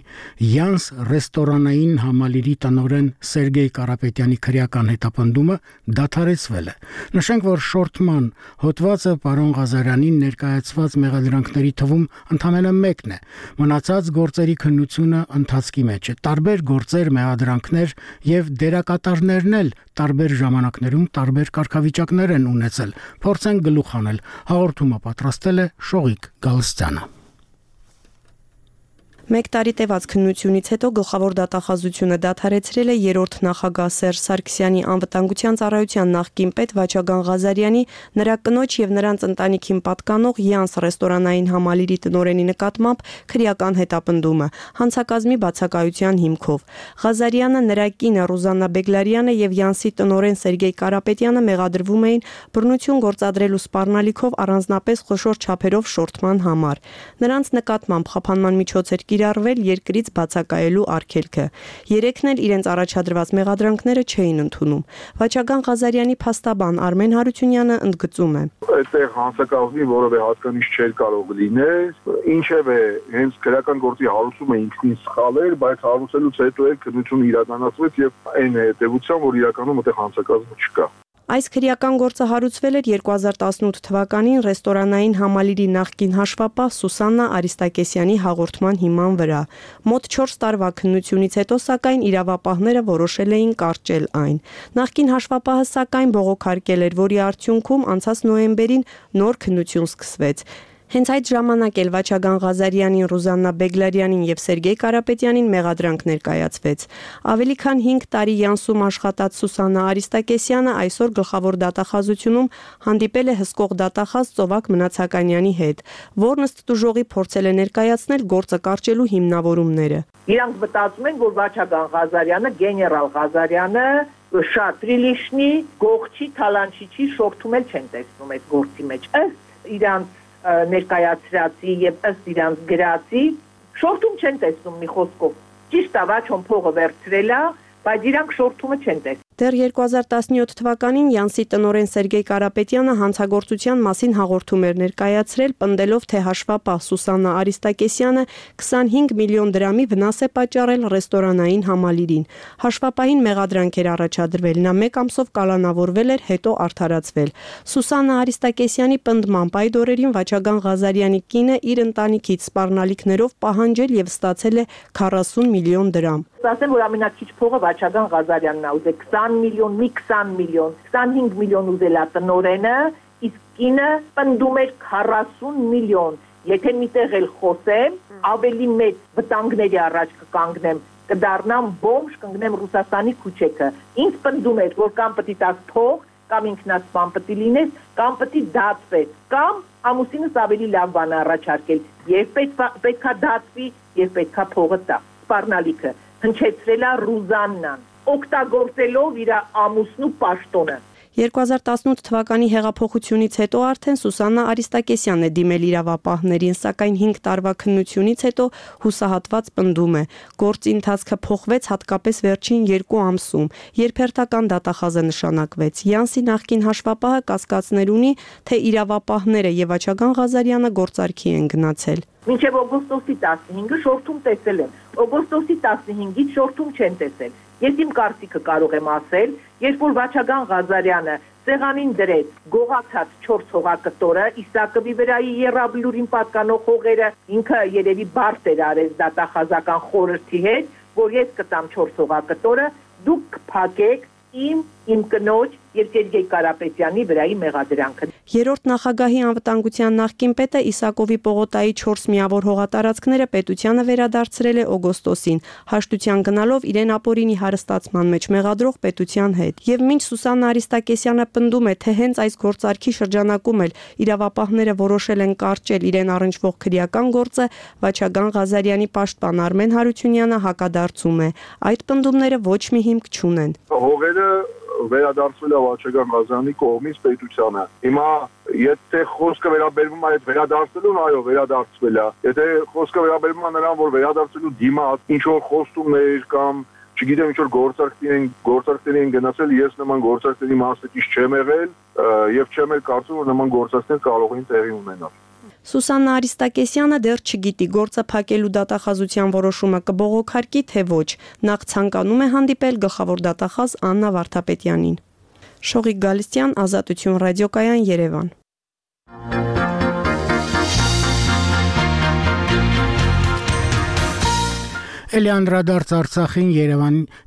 Յանս ռեստորանային համալիրի տնօրեն Սերգեյ Կարապետյանի քրեական հետապնդումը դադարեցվել է։ Նշենք, որ շորթման հոդվածը պարոն Ղազարյանին ներկայացված մեղադրանքների թվում ընդամենը մեկն է։ Մնացած գործերի քննությունը ընթացքի մեջ է։ Տարբեր գործեր, մեղադրանքներ եւ դերակատարներն էլ տարբեր ժամանակներում տարբեր կարգավիճակներ են ունեցել։ Փորձենք գլուխ հանել։ Հաղորդումը պատրաստել է Շողիկ Գալստյանը։ Մեկ տարի տևած քննությունից հետո գլխավոր դատախազությունը դադարեցրել է երրորդ նախագահ Սերժ Սարգսյանի անվտանգության ծառայության նախկին պետ Վաչագան Ղազարյանի, նրա կնոջ եւ նրանց ընտանիքին պատկանող Յանս ռեստորանային համալիրի տնօրենի նկատմամբ քրեական հետապնդումը հանցակազմի բացակայության հիմքով։ Ղազարյանը, նրա կինը Ռուզաննա Բեգլարյանը եւ Յանսի տնօրեն Սերգեյ Կարապետյանը մեղադրվում էին բռնություն գործադրելու սպառնալիքով առանձնապես խոշոր չափերով շորթման համար։ Նրանց նկատմամբ խափանման միջոցեր կիրառվել երկրից բացակայելու արգելքը։ Երեքն էլ իրենց առաջադրված մեղադրանքները չէին ընդունում։ Վաչագան Ղազարյանի փաստաբան Արմեն Հարությունյանը ընդգծում է. Այդտեղ հանցակազմի որևէ հատկանիշ չէր կարող լինել, ինչևէ հենց քրեական գործի հարուցումը ինքնին սխալ էր, բայց հարուցելուց հետո էլ քննությունը իրականացվեց եւ այն հետեւությամբ, որ իրականում այդտեղ հանցակազմ չկա։ Այս քրեական գործը հարուցվել էր 2018 թվականին ռեստորանային համալիրի նախկին հաշվապահ Սուսաննա Արիստակեսյանի հաղորդման հիման վրա։ Մոտ 4 տարվա քննությունից հետո, սակայն, իրավապահները որոշել էին կարճել այն։ Նախկին հաշվապահը, սակայն, բողոքարկել էր, որի արդյունքում անցած նոյեմբերին նոր քննություն սկսվեց։ Հենց այդ ժամանակ էլ Վաչագան Ղազարյանին, Ռուզաննա Բեգլարյանին եւ Սերգեյ Կարապետյանին մեղադրանք ներկայացվեց։ Ավելի քան 5 տարի Յանսում աշխատած Սուսաննա Արիստակեսյանը այսօր գլխավոր դատախազությունում հանդիպել է հսկող դատախազ Ծովակ Մնացականյանի հետ, որն ըստ դժողի փորձել է ներկայացնել գործը կարճելու հիմնավորումները։ Իրանք մտածում են, որ Վաչագան Ղազարյանը, գեներալ Ղազարյանը շատ ռիլիշնի, գողչի, թալանչիչի շորթում էլ չեն տեսնում այդ գործի մեջ։ Ըստ իրանք ներկայացրածի եւ ըստ իրանց գրածի շորթում չեն տեսնում մի խոսքով։ Ճիշտ է, Վաչոն փողը վերցրել է, բայց իրանք շորթումը չեն տեսնում։ Դեռ 2017 թվականին Յանսի տնօրեն Սերգեյ Կարապետյանը հանցագործության մասին հաղորդում էր ներկայացրել, պնդելով, թե հաշվապահ Սուսաննա Արիստակեսյանը 25 միլիոն դրամի վնաս է պատճառել ռեստորանային համալիրին։ Հաշվապահին մեղադրանք էր առաջադրվել, նա 1 ամսով կալանավորվել էր, հետո արդարացվել։ Սուսաննա Արիստակեսյանի պնդմամբ այդ օրերին Վաչագան Ղազարյանի կինը իր ընտանիքից սպառնալիքներով պահանջել եւ ստացել է 40 միլիոն դրամ։ Ասեմ, որ ամենակիչ փողը Վաչագան Ղազարյանն է ուզել 20 միլիոն, մի 20 միլիոն, 25 միլիոն ուզել է տնօրենը, իսկ կինը պնդում էր 40 միլիոն։ Եթե միտեղ էլ խոսեմ, ավելի մեծ վտանգների առաջ կկանգնեմ, կդառնամ բոմժ, կընկնեմ Ռուսաստանի քուչեքը։ Ինձ պնդում էր, որ կամ պիտի տաս փող, կամ ինքնասպան պիտի լինես, կամ պիտի դատվես, կամ ամուսինս ավելի լավ բան առաջարկել։ Եվ պետքա դատվի, եւ պետքա փողը տա։ Սպառնալիքը հնչեցրել է Ռուզաննան, օգտագործելով իր ամուսնու պաշտոնը։ 2018 թվականի հեղափոխությունից հետո արդեն Սուսաննա Արիստակեսյանն է դիմել իրավապահներին, սակայն 5 տարվա քննությունից հետո հուսահատված պնդում է. գործի ընթացքը փոխվեց հատկապես վերջին 2 ամսում, երբ հերթական դատախազ է նշանակվեց։ Յանսի նախկին հաշվապահը կասկածներ ունի, թե իրավապահները եւ Վաչագան Ղազարյանը գործարքի են գնացել։ Մինչև օգոստոսի 15-ը շորթում տեսել են, օգոստոսի 15-ից շորթում չեն տեսել։ Ես իմ կարծիքը կարող եմ ասել, երբ որ Վաչագան Ղազարյանը սեղանին դրեց գողացած 4 հողակտորը, Իսակովի վրայի Եռաբլուրին պատկանող հողերը, ինքը երևի բարդ էր արեց դատախազական խորհրդի հետ, որ ես կտամ 4 հողակտորը, դուք կփակեք իմ կնոջ եւ Սերգեյ Կարապետյանի վրայի մեղադրանքը։ Երրորդ նախագահի անվտանգության նախկին պետը Իսակովի պողոտայի 4 միավոր հողատարածքները պետությանը վերադարձրել է օգոստոսին, հաշտության գնալով իրեն ապօրինի հարստացման մեջ մեղադրող պետության հետ։ Եվ մինչ Սուսաննա Արիստակեսյանը պնդում է, թե հենց այս գործարքի շրջանակում էլ իրավապահները որոշել են կարճել իրեն առնչվող քրեական գործը, Վաչագան Ղազարյանի պաշտպան Արմեն Հարությունյանը հակադարձում է։ Այդ պնդումները ոչ մի հիմք չունեն։ Հողերը վերադարձվել է Վաչագան Ղազարյանի կողմից պետությանը։ Հիմա եթե խոսքը վերաբերվում է այդ վերադարձելուն, այո, վերադարձվել է։ Եթե խոսքը վերաբերվում է նրան, որ վերադարձելու դիմաց ինչ որ խոստումներ կամ չգիտեմ ինչ որ գործարքների են գնացել, ես նման գործարքների մասնակից չեմ եղել եւ չեմ էլ կարծում, որ նման գործարքներ կարող են տեղի ունենալ։ Սուսաննա Արիստակեսյանը դեռ չգիտի գործը փակելու դատախազության որոշումը կբողոքարկի թե ոչ։ Նախ ցանկանում է հանդիպել գլխավոր դատախազ Աննա Վարդապետյանին։ Շողիկ Գալստյան, Ազատություն ռադիոկայան, Երևան։ Էլի անդրադարձ Արցախին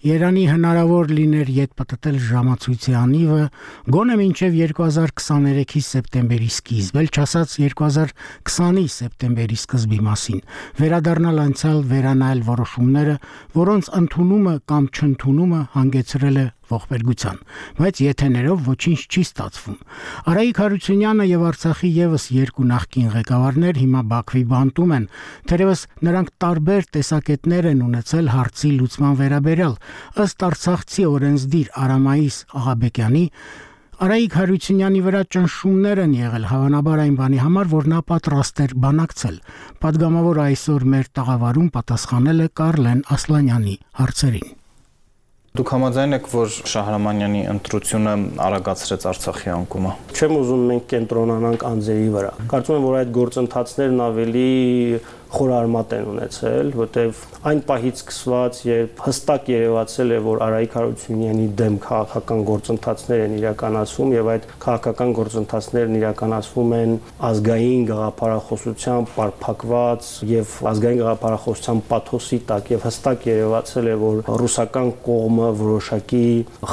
Երանի հնարավոր լիներ ետ պտտել ժամացույցի անիվը գոնե մինչև 2023-ի սեպտեմբերի սկիզբ, էլ չասած 2020-ի սեպտեմբերի սկզբի մասին, վերադառնալ անցյալ վերանայել որոշումները, որոնց ընդունումը կամ չընդունումը հանգեցրել է ողբերգության, բայց եթեներով ոչինչ չի ստացվում։ Արայիկ Հարությունյանը եւ Արցախի եւս 2 նախկին ղեկավարներ հիմա Բաքվի բանտում են, թերևս նրանք տարբեր տեսակետներ են ունեցել հարցի լուծման վերաբերյալ, ըստ արցախցի օրենսդիր Արամայիս Աղաբեկյանի Արայիկ Հարությունյանի վրա ճնշումներ են եղել հավանաբար այն բանի համար, որ նա պատրաստ էր բանակցել։ Պատգամավոր այսօր մեր տաղավարում պատասխանել է Կարլեն Ասլանյանի հարցերին։ Դուք համաձայն եք, որ Շահրամանյանի ընտրությունը արագացրեց Արցախի անկումը։ Չեմ ուզում մենք կենտրոնանանք անձերի վրա։ Կարծում եմ, որ այդ գործընթացներն ավելի խորարմատ են ունեցել, որտեղ այն պահից սկսված, երբ հստակ երևացել է, որ Արայիկ Հարությունյանի դեմ քաղաքական գործընթացներ են իրականացվում եւ այդ քաղաքական գործընթացներն իրականացվում են ազգային գաղափարախոսությամբ պարփակված եւ ազգային գաղափարախոսության պաթոսի տակ եւ հստակ երևացել է, որ ռուսական կողմը որոշակի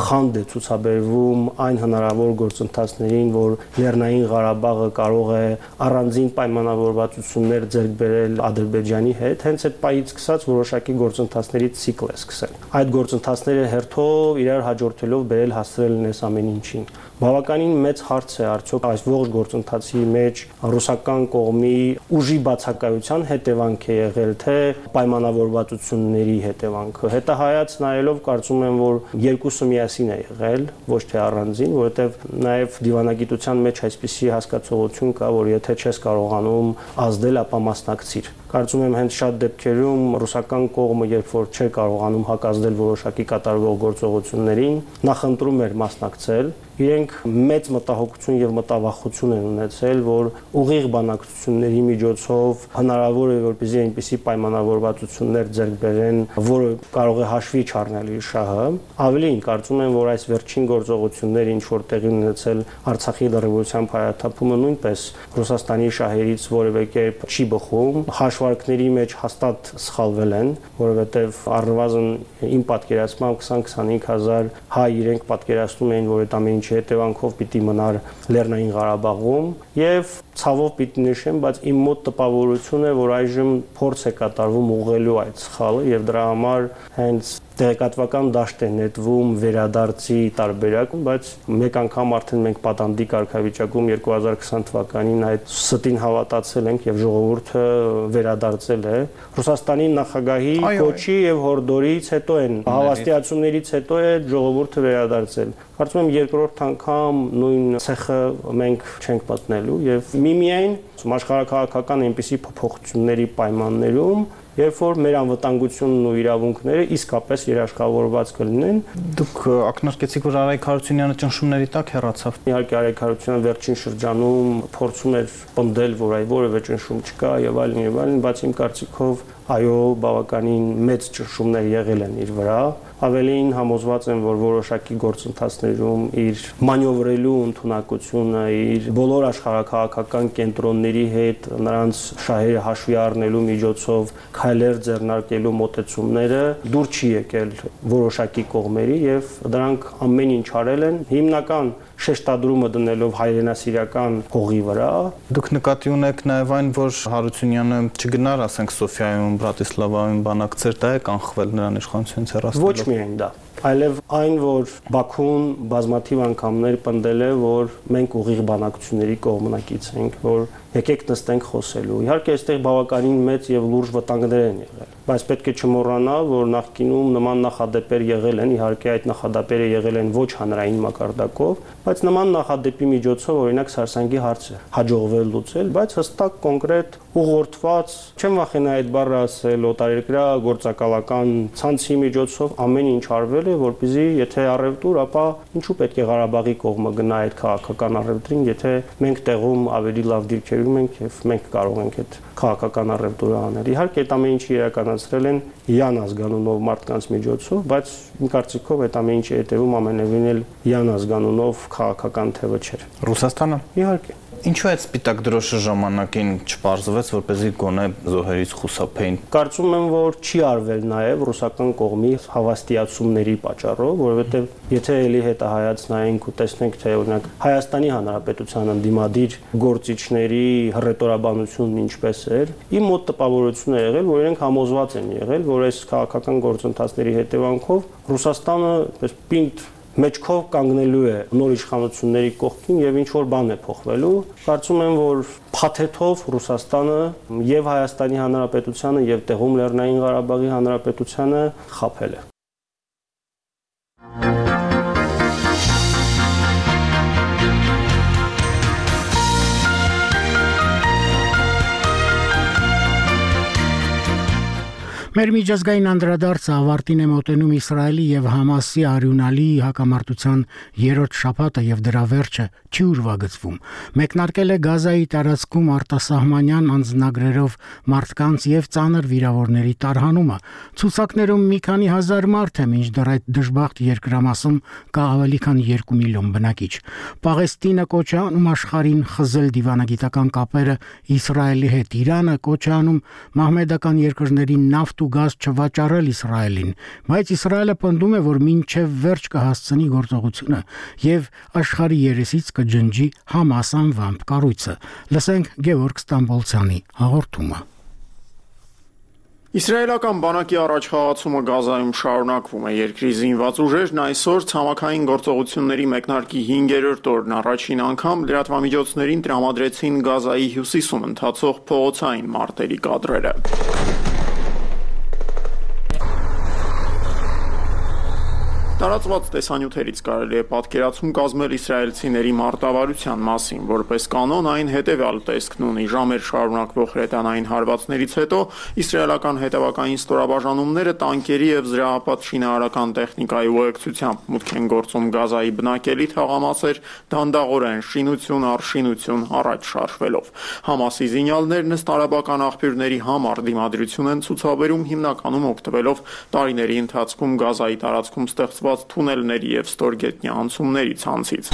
խանդ է ցուցաբերվում այն հնարավոր գործընթացներին, որ Լեռնային Ղարաբաղը կարող է առանձին պայմանավորվածություններ ձեռք բերել Ադրբեջանի հետ, հենց այդ պահից սկսած որոշակի գործընթացների ցիկլ է սկսել։ Այդ գործընթացները հերթով իրար հաջորդելով բերել հասցրել են այս ամեն ինչին։ Բավականին մեծ հարց է արդյոք այս ողջ գործընթացի մեջ ռուսական կողմի ուժի բացակայության հետևանք է եղել, թե պայմանավորվածությունների հետևանքը։ Հետահայաց նայելով կարծում եմ, որ երկուսը միասին է եղել, ոչ թե առանձին, որովհետև նաև դիվանագիտության մեջ այսպիսի հասկացողություն կա, որ եթե չես կարողանում ազդել, ապա մասնակցիր։ Կարծում եմ հենց շատ դեպքերում ռուսական կողմը, երբ որ չէր կարողանում հակազդել որոշակի կատարվող գործողություններին, նախընտրում էր մասնակցել։ Իրենք մեծ մտահոգություն եւ մտավախություն են ունեցել, որ ուղիղ բանակցությունների միջոցով հնարավոր է որպեսզի այնպիսի պայմանավորվածություններ ձեռք բերեն, որը կարող է հաշվի չառնել իր շահը։ Ավելին, կարծում եմ, որ այս վերջին գործողությունները, ինչ որ տեղի ունեցել Արցախի լրիվության փայլատափումը, նույնպես Ռուսաստանի շահերից որևէ կերպ չի բխում, հաշվարկների մեջ հաստատ սխալվել են, որովհետեւ առնվազն իմ պատկերացմամբ 20-25 հազար հայ իրենք պատկերացնում էին, որ այդ ամեն ինչի հետևանքով պիտի մնար Լեռնային Ղարաբաղում եւ ցավով պիտի նշեմ, բայց իմ մոտ տպավորություն է, որ այժմ փորձ է կատարվում ուղղելու այդ սխալը եւ դրա համար հենց տեղեկատվական դաշտ է նետվում վերադարձի տարբերակ, բայց մեկ անգամ արդեն մենք պատանդի կարգավիճակում 2020 թվականին այդ ստին հավատացել ենք եւ ժողովուրդը վերադարձել է։ Ռուսաստանի նախագահի կոչի եւ հորդորից հետո են հավաստիացումներից հետո է ժողովուրդը վերադարձել։ Կարծում եմ երկրորդ անգամ նույն ցեխը մենք չենք մտնելու եւ միմիայն աշխարհակաղակական այնպիսի փոփոխությունների պայմաններում երբ որ մեր անվտանգությունն ու իրավունքները իսկապես երաշխավորված կլինեն։ Դուք ակնարկեցիք, որ Արայք Հարությունյանը ճնշումների տակ հեռացավ։ Իհարկե Արայք Հարությունյանը վերջին շրջանում փորձում էր պնդել, որ որևէ ճնշում չկա եւ այլն, բայց իմ կարծիքով այո, բավականին մեծ ճնշումներ եղել են իր վրա։ Ավելին համոզված եմ, որ որոշակի գործընթացներում իր մանյովրելու ընդունակությունը, իր բոլոր աշխարհակաղակական կենտրոնների հետ նրանց շահերը հաշվի առնելու միջոցով քայլեր ձեռնարկելու մոտեցումները դուր չի եկել որոշակի կողմերի եւ դրանք ամեն ինչ արել են հիմնական շեշտադրումը դնելով հայրենասիրական հողի վրա։ Դուք նկատի ունեք նաև այն, որ Հարությունյանը չգնար, ասենք Սոֆիայում, Բրատիսլավայում բանակցեր, դա է կանխվել նրան իշխանությունից հեռացնելով։ Ոչ միայն դա, այլև այն, որ Բաքուն բազմաթիվ անգամներ պնդել է, որ մենք ուղիղ բանակցությունների կողմնակից ենք, որ եկեք նստենք խոսելու։ Իհարկե, այստեղ բավականին մեծ եւ լուրջ վտանգներ են եղել, բայց պետք է չմոռանալ, որ նախկինում նման նախադեպեր եղել են, իհարկե այդ նախադեպերը եղել են ոչ հանրային մակարդակով, բայց նման նախադեպի միջոցով օրինակ Սարսանգի հարցը հաջողվել լուծել, բայց հստակ կոնկրետ ուղղորդված, չեմ վախենա այդ բառը ասել, օտարերկրյա գործակալական ցանցի միջոցով ամեն ինչ արվել է, որպեսզի եթե առևտուր, ապա ինչու պետք է Ղարաբաղի կողմը գնա այդ քաղաքական առևտրին, եթե մենք տեղում ավելի լավ դիրքերում ենք եւ մենք կարող ենք այդ քաղաքական առևտուրը անել։ Իհարկե այդ ամեն ինչը իրականացրել են Յան ազգանունով մարդկանց միջոցով, բայց իմ կարծիքով այդ ամեն ինչի հետևում ամենևին էլ Յան ազգանունով քաղաքական թևը չէր։ Ռուսաստանը։ Իհարկե։ Ինչու այդ սպիտակ դրոշը ժամանակին չպարզվեց, որպեսզի գոնե զոհերից խուսափեին։ Կարծում եմ, որ չի արվել նաև ռուսական կողմի հավաստիացումների պատճառով, որովհետև եթե ելի հետահայաց նայենք ու տեսնենք, թե օրինակ Հայաստանի Հանրապետության ընդդիմադիր գործիչների հռետորաբանությունն ինչպես էր, իմ մոտ տպավորություն է եղել, որ իրենք համոզված են եղել, որ այս քաղաքական գործընթացների հետևանքով Ռուսաստանը այս պինդ մեջքով կանգնելու է նոր իշխանությունների կողքին եւ ինչ որ բան է փոխվելու։ Կարծում եմ, որ փաթեթով Ռուսաստանը եւ Հայաստանի Հանրապետությանը եւ տեղում Լեռնային Ղարաբաղի Հանրապետությանը խաբել է։ Մեր միջազգային անդրադարձը ավարտին է մոտենում Իսրայելի եւ Համասի արյունալի հակամարտության երրորդ շաբաթը եւ դրա վերջը չի ուրվագծվում։ Մեկնարկել է Գազայի տարածքում արտասահմանյան անձնագրերով մարդկանց եւ ծանր վիրավորների տարհանումը։ Ցուցակներում մի քանի հազար մարդ է, մինչդեռ այդ դժբախտ երկրամասում կա ավելի քան 2 միլիոն բնակիչ։ Պաղեստինը կոչ է անում աշխարհին խզել դիվանագիտական կապերը Իսրայելի հետ։ Իրանը կոչ է անում մահմեդական երկրներին նավթ ու գազ չվաճառել Իսրայելին, բայց Իսրայելը պնդում է, որ մինչև վերջ կհասցնի գործողությունը եւ աշխարհի երեսից կջնջի Համաս անվամբ կառույցը։ Լսենք Գևորգ Ստամբոլցյանի հաղորդումը։ Իսրայելական բանակի առաջխաղացումը Գազայում շարունակվում է։ Երկրի զինված ուժերն այսօր ցամաքային գործողությունների մեկնարկի 5-րդ օրն առաջին անգամ լրատվամիջոցներին տրամադրեցին Գազայի հյուսիսում ընթացող փողոցային մարտերի կադրերը։ Տարածված տեսանյութերից կարելի է պատկերացում կազմել իսրայելցիների մարտավարության մասին, որպես կանոն այն հետևյալ տեսքն ունի. ժամեր շարունակվող հրետանային հարվածներից հետո իսրայելական հետևակային ստորաբաժանումները տանկերի եւ զրահապատ շինարարական տեխնիկայի ուղեկցությամբ մուտք են գործում Գազայի բնակելի թաղամասեր, դանդաղորեն շինություն առ շինություն առաջ շարժվելով։ Համասի զինյալներն ըստ արաբական աղբյուրների համար դիմադրություն են ցուցաբերում հիմնականում օգտվելով տարիների ընթացքում Գազայի տարածքում ստեղծված թունելների եւ ստորգետնյա անցումների ցանցից։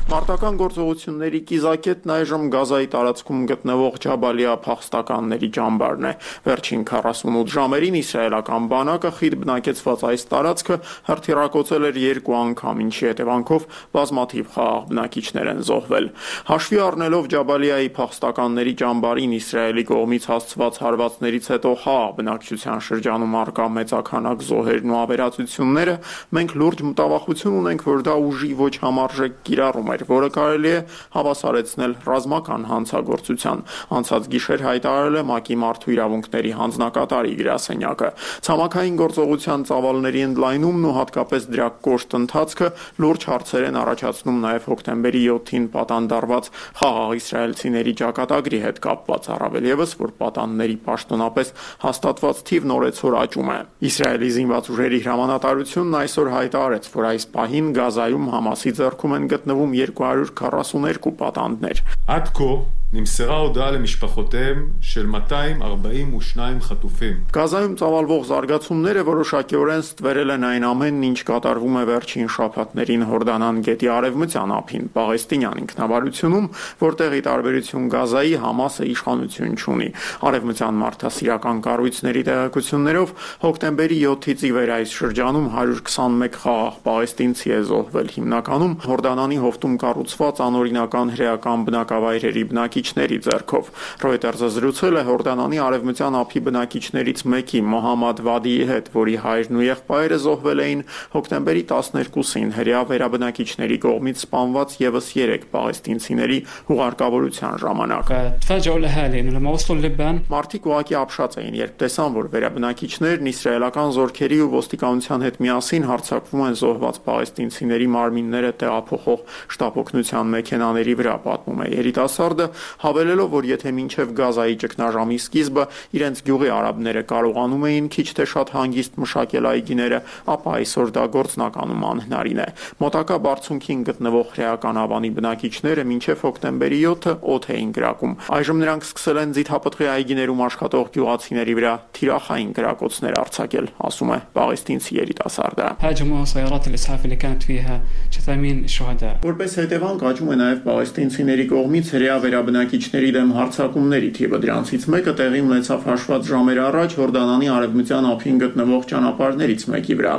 Մարտական գործողությունների կիզակետն այժմ Գազայի տարածքում գտնվող Ջաբալիա փախստականների ճամբարն է։ Վերջին 48 ժամերին իսրայելական բանակը խիտ բնակեցված այս տարածքը հրթիռակոծել էր 2 անգամ, ինչի հետևանքով բազմաթիվ խաղաղ բնակիչներ են զոհվել։ Հաշվի առնելով Ջաբալիայի փախստականների ճամբարին Իսրայելի կողմից հասցված հարվածներից հետո խաղաղ բնակչության շրջանում առկա մեծաքանակ զոհերն ու ավերածությունները, մենք լուրջ մտավախություն ունենք, որ դա ուժի ոչ համարժեք կիրառում է էր, որը կարելի է հավասարեցնել ռազմական հանցագործության։ Անցած գիշեր հայտարարել է ՄԱԿ-ի մարդու իրավունքների հանձնակատարի գրասենյակը։ Ցամաքային գործողության ծավալների ընդլայնումն ու հատկապես դրա կոշտ ընթացքը լուրջ հարցեր են առաջացնում նաև հոկտեմբերի 7-ին պատանդարված խաղաղ իսրայելցիների ճակատագրի հետ կապված, առավել ևս, որ պատանդների պաշտոնապես հաստատված թիվն օրեցօր աճում է։ Իսրայելի զինված ուժերի հրամանատարությունն այսօր հայտարարեց, որ այս պահին Գազայում Համասի ձեռքում են գտնվում 242 պատանդներ։ עד כה נמסרה הודעה למשפחותיהם של 242 խտופים։ Գազայում ծավալվող զարգացումները որոշակիորեն ստվերել են այն ամենն, ինչ կատարվում է վերջին շաբաթներին Հորդանան գետի արևմտյան ափին, Պաղեստինյան ինքնավարությունում, որտեղի տարբերություն Գազայի Համասը իշխանություն չունի։ Արևմտյան մարդասիրական կառույցների տեղեկություններով հոկտեմբերի 7-ից ի վեր այս շրջանում 121 խաղաղ պաղեստինցի է զոհվել, հիմնականում Հորդանանի հովտում կառուցված անօրինական հրեական բնակավայրերի բնակիչների ձեռքով։ Reuters-ը զրուցել է Հորդանանի արևմտյան ափի բնակիչներից մեկի Մոհամմադ Վադիի հետ, որի հայրն ու եղբայրը զոհվել էին հոկտեմբերի 12-ին հրեա վերաբնակիչների կողմից սպանված ևս 3 պաղեստինցիների հուղարկավորության ժամանակ։ Մարդիկ ուղղակի ապշած էին, երբ տեսան, որ վերաբնակիչներն իսրայելական զորքերի ու ոստիկանության հետ միասին հարձակվում են զոհված պաղեստինցիների մարմինները տեղափոխող շտապօգնության մեքենաների վրա, պատմում է երիտասարդը, հավելելով, որ եթե մինչև Գազայի ճգնաժամի սկիզբը իրենց գյուղի արաբները կարողանում էին քիչ թե շատ հանգիստ մշակել այգիները, ապա այսօր դա գործնականում անհնարին է։ Մոտակա բարձունքին գտնվող հրեական ավանի բնակիչները մինչև հոկտեմբերի 7-ը օդ էին կրակում։ Այժմ նրանք սկսել են ձիթապտղի այգիներում աշխատող գյուղացիների վրա թիրախային կրակոցներ արձակել, ասում է պաղեստինցի երիտասարդը։ Որպես հետևանք աճում է նաև պաղեստինցիների կողմից հրեա վերաբնակիչների դեմ հարձակումների թիվը, դրանցից մեկը տեղի ունեցավ հաշված ժամեր առաջ Հորդանանի արևմտյան ափին գտնվող ճանապարհներից մեկի վրա։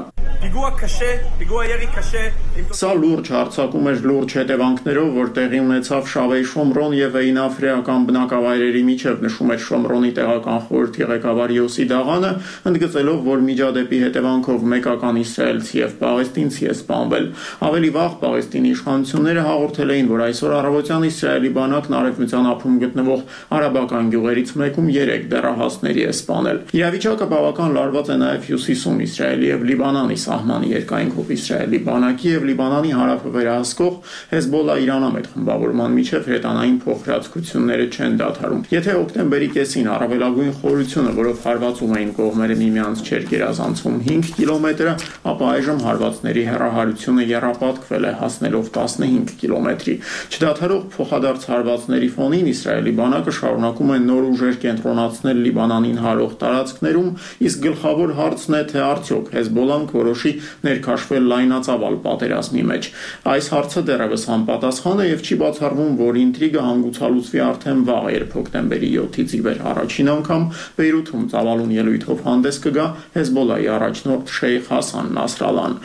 Սա լուրջ հարձակում էր լուրջ հետևանքներով, որ տեղի ունեցավ Շավեի Շոմրոն եւ Էյնաֆ հրեական բնակավայրերի միջև, նշում էր Շոմրոնի տեղական խորհրդի ղեկավար Յոսի Դաղանը, ընդգծելով, որ միջադեպի հետևանքով մեկական իսրայելցի եւ պաղեստինցի է սպանվել։ Ավելի վաղ Պաղեստինի իշխանությունները հաղորդել էին, որ այսօր առավոտյան Իսրայելի բանակն արևմտյան ափում գտնվող արաբական գյուղերից մեկում 3 դեռահասների է սպանել։ Իրավիճակը բավական լարված է նաև հյուսիսում Իսրայելի եւ Լիբանանի սահմանի երկայնքով Իսրայելի բանակի եւ Լիբանանի հարավը վերահսկող Հեզբոլլա-Իրանամետ խմբավորման միջև հրետանային փոխհրաձգությունները չեն դադարում։ Եթե հոկտեմբերի կեսին առավելագույն խորությունը, որով հարվածում էին կողմերը միմյանց չէր գերազանցում 5 կիլոմետրը, ապա այժմ հարվածների հեռահարությունը եռապատկվել է, հասնելով 15 կիլոմետրի։ Չդադարող փոխադարձ հարվածների ֆոնին Իսրայելի բանակը շարունակում է նոր ուժեր կենտրոնացնել Լիբանանին հարող տարածքներում, իսկ գլխավոր հարցն է, թե արդյոք Հեզբոլլան կորոշի ներքաշվել լայնածավալ պատերազմի մեջ։ Այս հարցը դեռևս անպատասխան է եւ չի բացառվում, որ ինտրիգը հանգուցալուծվի արդեն վաղ, երբ հոկտեմբերի 7-ից ի վեր առաջին անգամ Բեյրութում ծավալուն ելույթով հանդես կգա Հեզբոլլայի առաջնորդ Շեյխ Հասան Նասրալան։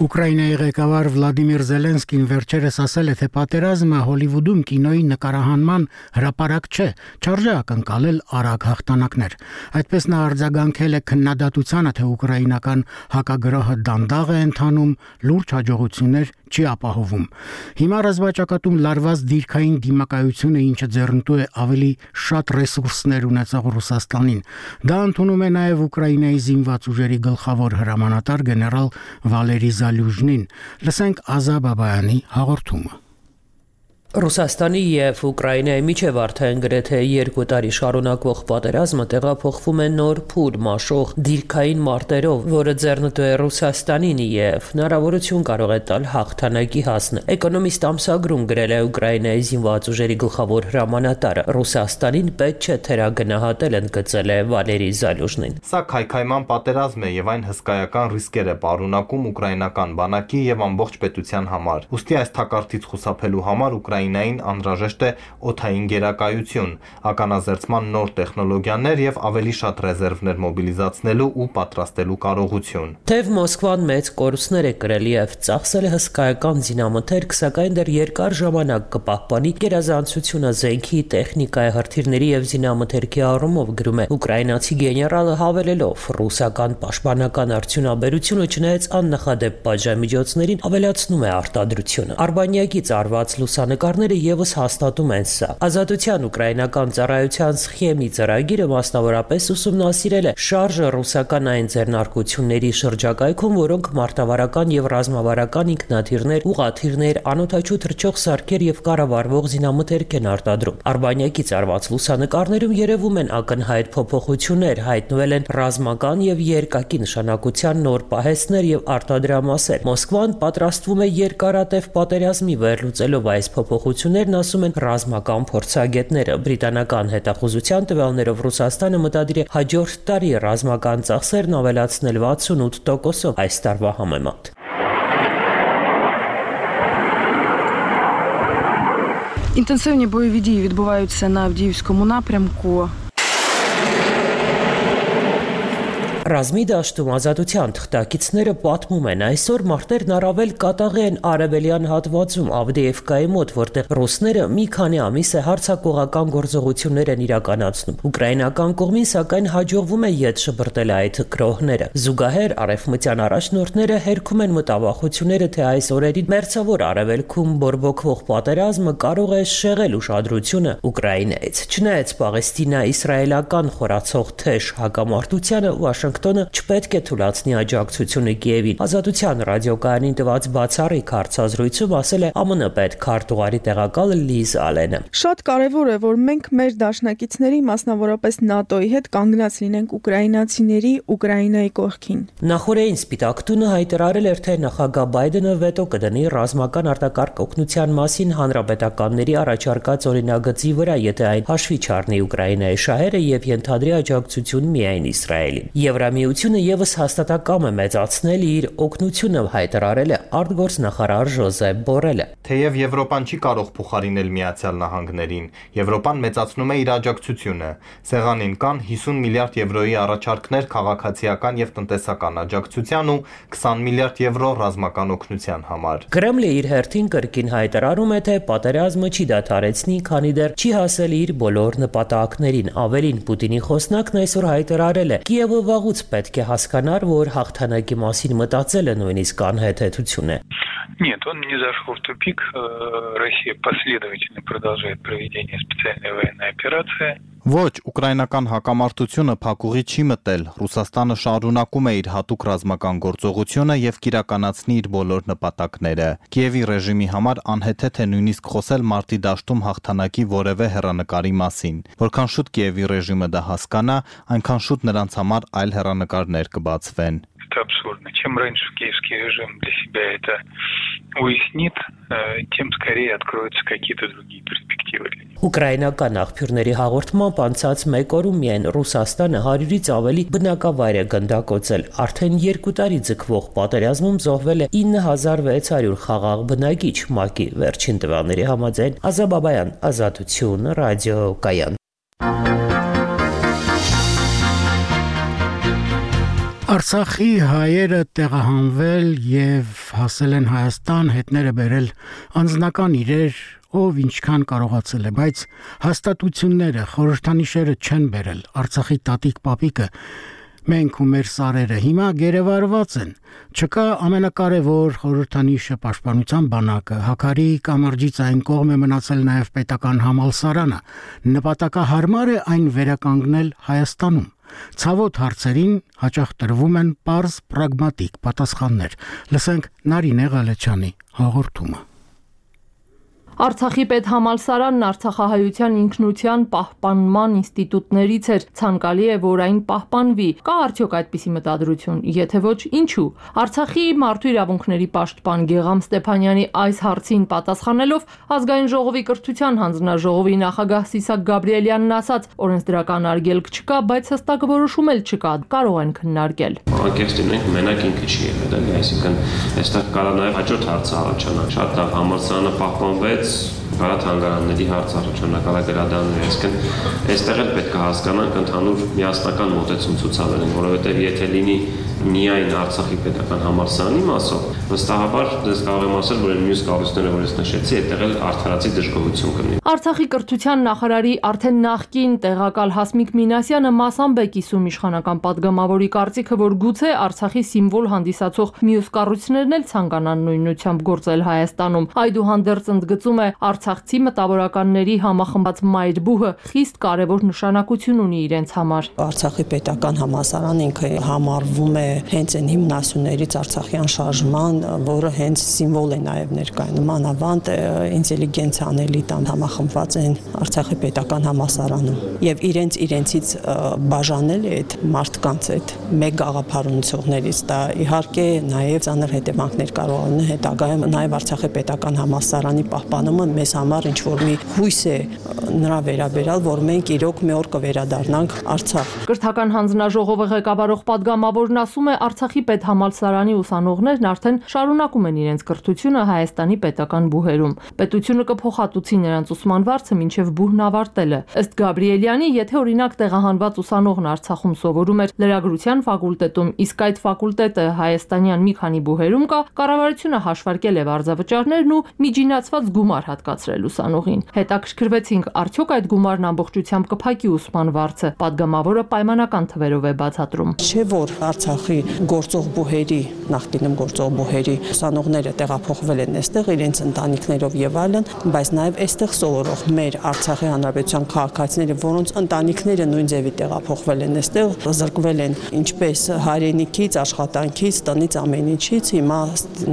Ուկրաինայի ղեկավար Վլադիմիր Զելենսկին վերջերս ասել է, թե պատերազմը Հոլիվուդում կինոյի նկարահանման հրապարակ չէ, չարժե ակնկալել արագ հաղթանակներ։ Այդպես նա արձագանքել է քննադատությանը, թե ուկրաինական հակագրոհը դանդաղ է ընթանում, լուրջ հաջողություններ չի ապահովում։ Հիմա ռազմաճակատում լարված դիրքային դիմակայությունը, ինչը ձեռնտու է ավելի շատ ռեսուրսներ ունեցող Ռուսաստանին։ Դա ընդունում է նաև Ուկրաինայի զինված ուժերի գլխավոր հրամանատար գեներալ Վալերի Զալյուժնին։ Լսենք Ազա Բաբայանի հաղորդումը։ Ռուսաստանի եւ Ուկրաինայի միջև արդեն գրեթե 2 տարի շարունակվող պատերազմը տեղափոխվում է նոր փուլ մաշող դիրքային մարտերով, որը ձեռնտու է Ռուսաստանին եւ հնարավորություն կարող է տալ հաղթանակի հասնել։ Էկոնոմիստ ամսագրում գրել է Ուկրաինայի զինված ուժերի գլխավոր հրամանատարը։ Ռուսաստանին պետք չէ թերագնահատել, ընդգծել է Վալերի Զալյուժնին։ Սա քայքայման պատերազմ է եւ այն հսկայական ռիսկեր է պարունակում ուկրաինական բանակի եւ ամբողջ պետության համար։ Ոստի այս թակարդից խուսափելու համար Ուկրաինան լայնային անհրաժեշտ է օդային գերակայություն, ականազերծման նոր տեխնոլոգիաներ եւ ավելի շատ ռեզերվներ մոբիլիզացնելու ու պատրաստելու կարողություն։ Թեև Մոսկվան մեծ կորուստներ է կրել եւ ծախսել է հսկայական զինամթերք, սակայն դեռ երկար ժամանակ կպահպանի գերազանցությունը զենքի, տեխնիկայի, հրթիռների եւ զինամթերքի առումով, գրում է ուկրաինացի գեներալը, հավելելով. ռուսական պաշտպանական արդյունաբերությունը չնայած աննախադեպ պատժամիջոցներին ավելացնում է արտադրությունը։ Արբանյակից արված լուսանկարները եւս հաստատում են սա։ Ազատության ուկրաինական ծառայության սխեմի ծրագիրը մասնավորապես ուսումնասիրել է շարժը ռուսական այն ձեռնարկությունների շրջակայքում, որոնք մարտավարական եւ ռազմավարական ինքնաթիռներ, ուղաթիռներ, անօդաչու թռչող սարքեր եւ կառավարվող զինամթերք են արտադրում։ Արբանյակից արված լուսանկարներում երևում են ակնհայտ փոփոխություններ, հայտնվել են ռազմական եւ երկակի նշանակության նոր պահեստներ եւ արտադրամասեր։ Մոսկվան պատրաստվում է երկարատև պատերազմի վերլուծելով այս փոփոխություններն, ասում են ռազմական փորձագետները։ Բրիտանական հետախուզության տվյալներով Ռուսաստանը մտադիր է հաջորդ տարի ռազմական ծախսերն ավելացնել 68%-ով այս տարվա համեմատ։ Інтенсивні бойові дії відбуваються на Авдіївському напрямку. Ռազմի դաշտում ազատության թղթակիցները պատմում են, այսօր մարտերն առավել կատաղ են արևելյան հատվածում Ավդեևկայի մոտ, որտեղ ռուսները մի քանի ամիս է հարձակողական գործողություններ են իրականացնում։ Ուկրաինական կողմին սակայն հաջողվում է ետ շպրտել այդ գրոհները։ Զուգահեռ արևմտյան առաջնորդները հերքում են մտավախությունները, թե այս օրերին մերձավոր արևելքում բորբոքվող պատերազմը կարող է շեղել ուշադրությունը Ուկրաինայից։ Չնայած Պաղեստինա-իսրայելական խորացող թեժ հակամարտությանը Վաշինգտոնը չպետք է թույլատնի աջակցությունը Կիևին։ Ազատության ռադիոկայանին տված բացառիկ հարցազրույցում ասել է ԱՄՆ պետքարտուղարի տեղակալ Լիզ Ալենը։ Շատ կարևոր է, որ մենք մեր դաշնակիցների, մասնավորապես ՆԱՏՕ-ի հետ կանգնած լինենք ուկրաինացիների Ուկրաինայի կողքին։ Նախորդին Սպիտակ տունը հայտարարել էր, թե նախագահ Բայդենը վետո կդնի ռազմական արտակարգ օգնության մասին հանրապետականների առաջարկած օրինագծի վրա, եթե այն հաշվի չառնի Ուկրաինայի շահերը եւ ենթադրի աջակցություն միայն Իսրայելին։ Եվրամիությունը եւս հաստատակամ է մեծացնել իր օգնությունը, հայտարարել է արտգործնախարար Ժոզեփ Բորելը։ Թեև Եվրոպան չի կարող փոխարինել Միացյալ Նահանգներին, Եվրոպան մեծացնում է իր աջակցությունը։ Սեղանին կան 50 միլիարդ եվրոյի առաջարկներ քաղաքացիական եւ տնտեսական աջակցության ու 20 միլիարդ եվրո ռազմական օգնության համար։ Կրեմլը իր հերթին կրկին հայտարարում է, թե պատերազմը չի դադարեցնի, քանի դեռ չի հասել իր բոլոր նպատակներին։ Ավելին, Պուտինի խոսնակն այսօր հայտարարել է. Կիևը վաղուց պետք է հասկանար, որ հաղթանակի մասին մտածելը նույնիսկ անհեթեթություն է։ Нет, он не зашел в тупик. Россия последовательно продолжает проведение специальной военной операции. Ոչ, ուկրաինական հակամարտությունը փակուղի չի մտել։ Ռուսաստանը շարունակում է իր հատուկ ռազմական գործողությունը եւ կիրականացնի իր բոլոր նպատակները։ Կիևի ռեժիմի համար անհեթեթ է նույնիսկ խոսել մարտի դաշտում հաղթանակի որևէ հեռանկարի մասին։ Որքան шут Կիևի ռեժիմը դա հասկանա, այնքան շուտ նրանց համար այլ հեռանկարներ կբացվեն։ Это абсурдно. Чем раньше киевский режим для себя это уяснит, тем скорее откроются какие-то другие перспективы для него. Ուկրաինական աղբյուրների հաղորդմամբ անցած մեկ օրում միայն Ռուսաստանը 100-ից ավելի բնակավայր է գնդակոծել։ Արդեն 2 տարի ձգվող պատերազմում զոհվել է 9600 խաղաղ բնակիչ, ՄԱԿ-ի վերջին տվյալների համաձայն։ Ազաբաբայան, Ազատություն, ռադիոկայան։ Արցախի հայերը տեղահանվել եւ հասել են Հայաստան, հետները բերել անձնական իրեր, ով ինչքան կարողացել է, բայց հաստատությունները, խորհրդանիշերը չեն բերել։ Արցախի տատիկ պապիկը մենք ու մեր սարերը հիմա գերեվարված են։ Չկա ամենակարևոր խորհրդանիշը պաշտպանության բանակը, Հակարի կամրջից այն կողմ է մնացել նաև պետական համալսարանը։ Նպատակահարմար է այն վերականգնել Հայաստանում։ Ցավոտ հարցերին հաճախ տրվում են պարզ պրագմատիկ պատասխաններ։ Լսենք Նարինե Ղալեչյանի հաղորդումը։ Արցախի պետհամալսարանն Արցախահայության ինքնության պահպանման ինստիտուտներից էր, ցանկալի է, որ այն պահպանվի։ Կա արդյոք այդպիսի մտադրություն, եթե ոչ, ինչու։ Արցախի մարդու իրավունքների պաշտպան Գեգամ Ստեփանյանի այս հարցին պատասխանելով ազգային ժողովի կրթության հանձնաժողովի նախագահ Սիսակ Գաբրիելյանն ասաց, օրենսդրական արգելք չկա, բայց հստակ որոշում էլ չկա, կարող են քննարկել։ Անկեղծին մենակ ինքը չի եղել, այսինքն այստեղ կարող նաև հաջորդ հարցը առաջանա։ Շատ լավ համալսարանը պահպանվեց, Բարաթանգարանների հարց առաջնակալագրադաններ, այսինքն այստեղ էլ պետք է հասկանանք ընդհանուր միասնական մոտեցում ցուցաբերենք, որովհետև եթե լինի միայն Արցախի պետական համալսարանի մասով, վստահաբար դες կարող եմ ասել, որ մյուս կառույցները, որ ես նշեցի, այդտեղ էլ արդարացի դժգոհություն կլինի։ Արցախի կրթության նախարարի արդեն նախկին տեղակալ Հասմիկ Մինասյանը մասամբ է կիսում իշխանական падգամավորի կարծիքը, որ գուցե Արցախի սիմվոլ հանդիսացող մյուս կառույցներն էլ ցանկանան նույնությամբ գործել Հայաստանում։ Այդուհանդերձ ընդգծում է, արցախցի մտավորականների համախմբած մայրբուհը խիստ կարևոր նշանակություն ունի իրենց համար։ Արցախի պետական համալսարանը ինքը համարվում է հենց այն հիմնասյուներից Արցախյան շարժման, որը հենց սիմվոլ է նաև ներկայանում, անավանդ ինտելիգենցիան էլիտան համախմբված են Արցախի պետական համալսարանում եւ իրենցից բաժանել է այդ մարդկանց այդ մեկ գաղափար ունեցողներից, դա իհարկե նաև ծանր հետևանքներ կարող ունենա հետագայում, նաև Արցախի պետական համալսարանի պահպանումը մեզ համար ինչ որ մի հույս է նրա վերաբերյալ, որ մենք իրոք մի օր կվերադառնանք Արցախ։ Կրթական հանձնաժողովը ղեկավարող падգամավորն ասում է, Արցախի պետհամալսարանի ուսանողներն արդեն շարունակում են իրենց կրթությունը Հայաստանի պետական բուհերում։ Պետությունը կփոխհատուցի նրանց ուսման վարձը մինչև բուհն ավարտելը։ Ըստ Գաբրիելյանի, եթե օրինակ տեղահանված ուսանողն Արցախում սովորում էր լրագրության ֆակուլտետում, իսկ այդ ֆակուլտետը հայաստանյան մի քանի բուհերում կա, կառավարությունը հաշվարկել է վարձավճարներն ու միջինացված գումար հատկացրել ուսանողին։ Հետաքրքրվեցինք, արդյոք այդ գումարն ամբողջությամբ կփակի ուսման վարձը։ Պատգամավորը պայմանական թվերով է բացատրում։ Չէ որ Արցախի գործող բուհերի, նախկինում գործող բուհերի ուսանողները տեղափոխվել են այստեղ իրենց ընտանիքներով եւ այլն, բայց նաեւ այստեղ սովորող մեր Արցախի հանրապետության քաղաքացիները, որոնց ընտանիքները նույն ձևի տեղափոխվել են այստեղ, զրկվել են ինչպես հայրենիքից, աշխատանքից, տնից, ամեն ինչից, հիմա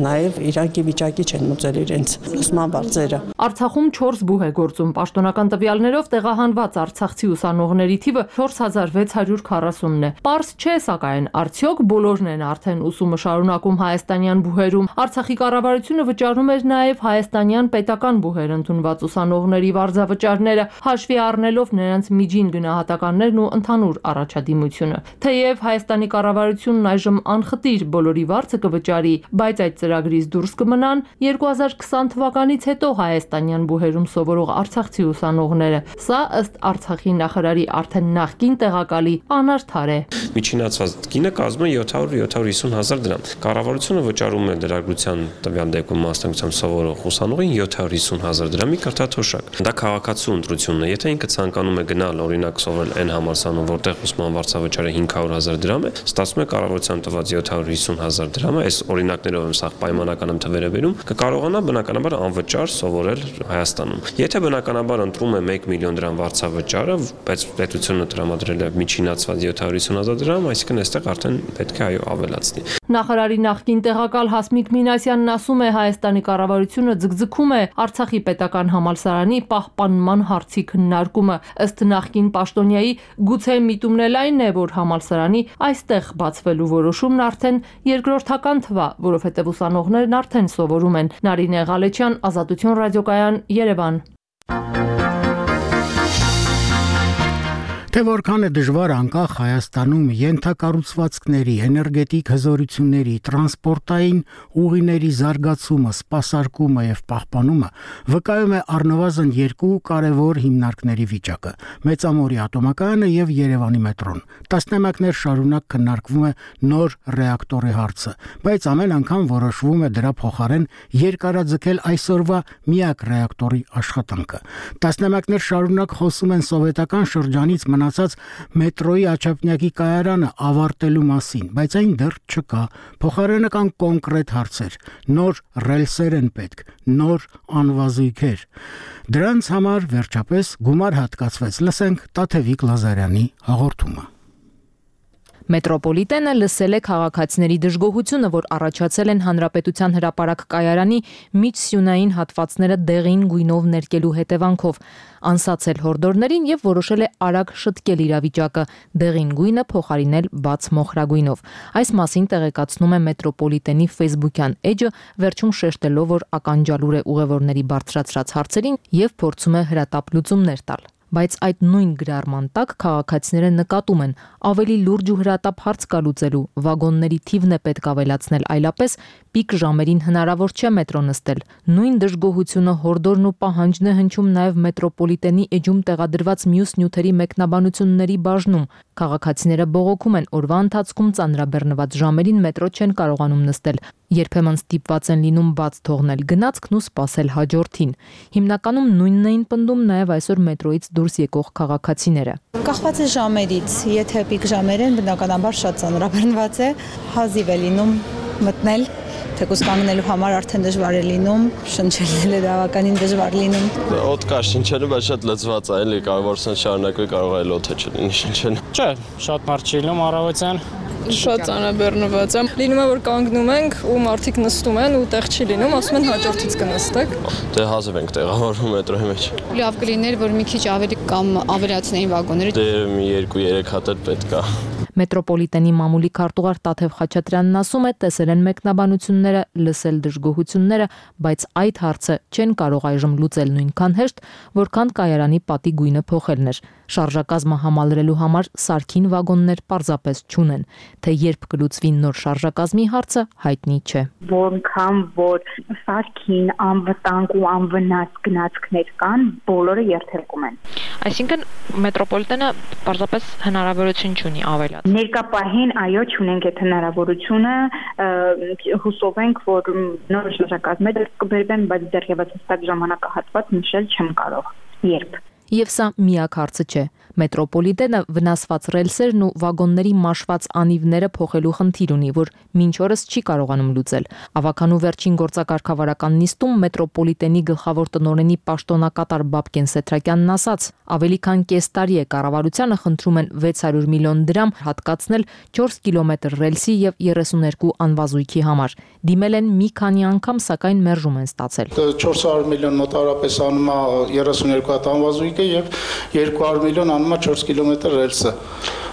նաեւ իրանքի վիճակի չեն մոծել իրենց ուսման վարձերը։ Արցախում 4 բուհ է գործում, պաշտոնական տվյալներով տեղահանված արցախցի ուսանողների թիվը 4640-ն է։ Պարզ չէ, սակայն արդյոք բոլորն են արդեն ուսումը շարունակում հայաստանյան բուհերում։ Արցախի կառավարությունը վճարում էր նաև հայաստանյան պետական բուհեր ընդունված ուսանողների վարձավճարները, հաշվի առնելով նրանց միջին գնահատականներն ու ընդհանուր առաջադիմությունը։ Թեև Հայաստանի կառավարությունն այժմ անխտիր բոլորի վարձը կվճարի, բայց այդ ծրագրից դուրս կմնան 2020 թվականից հետո հայաստանյան բուհերում սովորող արցախցի ուսանողները։ Սա ըստ Արցախի նախարարի արդեն նախկին տեղակալի անարդար է։ Միջինացված գինը կազմում է 700-750 հազար դրամ։ Կառավարությունը վճարում է լրագրության տվյալ դեպքում մասնակցությամբ սովորող ուսանողին 750 հազար դրամի կրթաթոշակ։ Դա քաղաքացու ընտրությունն է։ Եթե ինքը ցանկանում է գնալ օրինակ սովորել այն համալսարանում, որտեղ ուսման վարձավճարը 500 հազար դրամ է, ստացվում է կառավարության տված 750 հազար դրամը, այս օրինակներով եմ սա պայմանական եմ թվերը բերում, կկարողանա բնականաբար անվճար սովորել Հայաստանում։ Եթե բնականաբար ընտրում է 1 միլիոն դրամ վարձավճարը, բայց պետությունը տրամադրել է միջինացված 750 հազար դրամ, այսինքն այստեղ արդեն պետք է այո ավելացնի։ Նախարարի նախկին տեղակալ Հասմիկ Մինասյանն ասում է, Հայաստանի կառավարությունը ձգձգում է Արցախի պետական համալսարանի պահպանման հարցի քննարկումը։ Ըստ նախկին պաշտոնյայի, գուցե միտումն էլ այն է, որ համալսարանի այստեղ բացվելու որոշումն արդեն երկրորդական թվա, որովհետև ուսանողներն արդեն սովորում են։ Նարինե Ղալեչյան, Ազատություն ռադիոկայան, Երևան։ Թե որքան է դժվար անկախ Հայաստանում ենթակառուցվածքների, էներգետիկ հզորությունների, տրանսպորտային ուղիների զարգացումը, սպասարկումը եւ պահպանումը վկայում է առնվազն 2 կարևոր հիմնարկների վիճակը՝ Մեծամորի ատոմակայանը եւ Երևանի մետրոն։ Տասնամյակներ շարունակ քննարկվում է նոր ռեակտորի հարցը, բայց ամեն անգամ որոշվում է դրա փոխարեն երկարաձգել այսօրվա միակ ռեակտորի աշխատանքը։ Տասնամյակներ շարունակ խոսում են սովետական շրջանից մնացած մետրոյի Աչափնյակի կայարանը ավարտելու մասին, բայց այն դեռ չկա։ Փոխարենը կան կոնկրետ հարցեր, նոր ռելսեր են պետք, նոր անվազույգեր։ Դրանց համար վերջապես գումար հատկացվեց։ Լսենք Տաթևիկ Լազարյանի հաղորդումը։ Մետրոպոլիտենը լսել է քաղաքացիների դժգոհությունը, որ առաջացել են Հանրապետության հրապարակ կայարանի միջսյունային հատվածները դեղին գույնով ներկելու հետևանքով, անսացել հորդորներին եւ որոշել է արագ շտկել իրավիճակը, դեղին գույնը փոխարինել բաց մոխրագույնով։ Այս մասին տեղեկացնում է Մետրոպոլիտենի Facebook-յան էջը, վերջում շեշտելով, որ ականջալուր է ուղևորների բարձրացրած հարցերին եւ փորձում է հրատապ լուծումներ տալ։ Բայց այդ նույն գրառման տակ քաղաքացիները նկատում են ավելի լուրջ ու հրատապ հարց կա լուծելու, վագոնների թիվն է պետք ավելացնել, այլապես պիկ ժամերին հնարավոր չէ մետրո նստել։ Նույն դժգոհությունը, հորդորն ու պահանջն է հնչում նաև մետրոպոլիտենի էջում տեղադրված մյուս նյութերի մեկնաբանությունների բաժնում։ Քաղաքացիները բողոքում են օրվա ընթացքում ծանրաբեռնված ժամերին մետրո չեն կարողանում նստել, երբեմն ստիպված են լինում բաց թողնել գնացքն ու սպասել հաջորդին։ Հիմնականում նույնն էին պնդում նաև այսօր մետրոյից դուրս եկող քաղաքացիները։ Կախված է ժամերից, եթե պիկ ժամեր են, բնականաբար շատ ծանրաբեռնված է, հազիվ է լինում մտնել, թեկուզ կանգնելու համար արդեն դժվար է լինում, շնչելն է բավականին դժվար լինում։ Օդ կա շնչելը, բայց շատ լծված է, էլի կարող է շարունակվել, կարող է օդը չլինի շնչել։ Չէ, շատ մարդ չի լինում առավոտյան։ Շատ ծանրաբեռնված է։ Լինում է, որ կանգնում ենք ու մարդիկ նստում են ու տեղ չի լինում, ասում են հաջորդից կնստեք։ Դե հազիվ ենք տեղավորվում մետրոյի մեջ։ Լավ կլիներ, որ մի քիչ ավելի կամ ավելացնեին վագոնները։ Դե մի 2-3 հատ էլ պետք է։ Մետրոպոլիտենի մամուլի քարտուղար Տաթև Խաչատրյանն ասում է, տեսել են մեկնաբանությունները, լսել դժգոհությունները, բայց այդ հարցը չեն կարող այժմ լուծել նույնքան հեշտ, որքան կայարանի պատի գույնը փոխելն էր։ Շարժակազմը համալրելու համար սարքին վագոններ պարզապես չունեն, թե երբ կլուծվի նոր շարժակազմի հարցը հայտնի չէ։ Որքան որ սարքին անվտանգ ու անվնաս գնացքներ կան, բոլորը երթևեկում են։ Այսինքն մետրոպոլիտենը պարզապես հնարավորություն չունի ավելացնել։ Ներկա պահին այո չունենք այդ հնարավորությունը, հուսով ենք, որ նոր շարժակազմեր կբերվեն, բայց դեռևս հստակ ժամանակահատված նշել չեմ կարող։ Երբ։ Եվ սա միակ հարցը չէ։ Մետրոպոլիտենը վնասված ռելսերն ու վագոնների մաշված անիվները փոխելու խնդիր ունի, որ մինչ օրս չի կարողանում լուծել։ Ավականու վերջին գործակարգավարական նիստում մետրոպոլիտենի գլխավոր տնօրենի պաշտոնակատար Բաբկեն Սեթրակյանն ասաց. ավելի քան կես տարի է կառավարությանը խնդրում են 600 միլիոն դրամ հատկացնել 4 կիլոմետր ռելսի եւ 32 անվազույքի համար։ Դիմել են մի քանի անգամ, սակայն մերժում են ստացել։ 400 միլիոն մոտավորապես անում է 32 հատ անվազույքը եւ 200 միլիոն անում է 4 կիլոմետր ռելսը,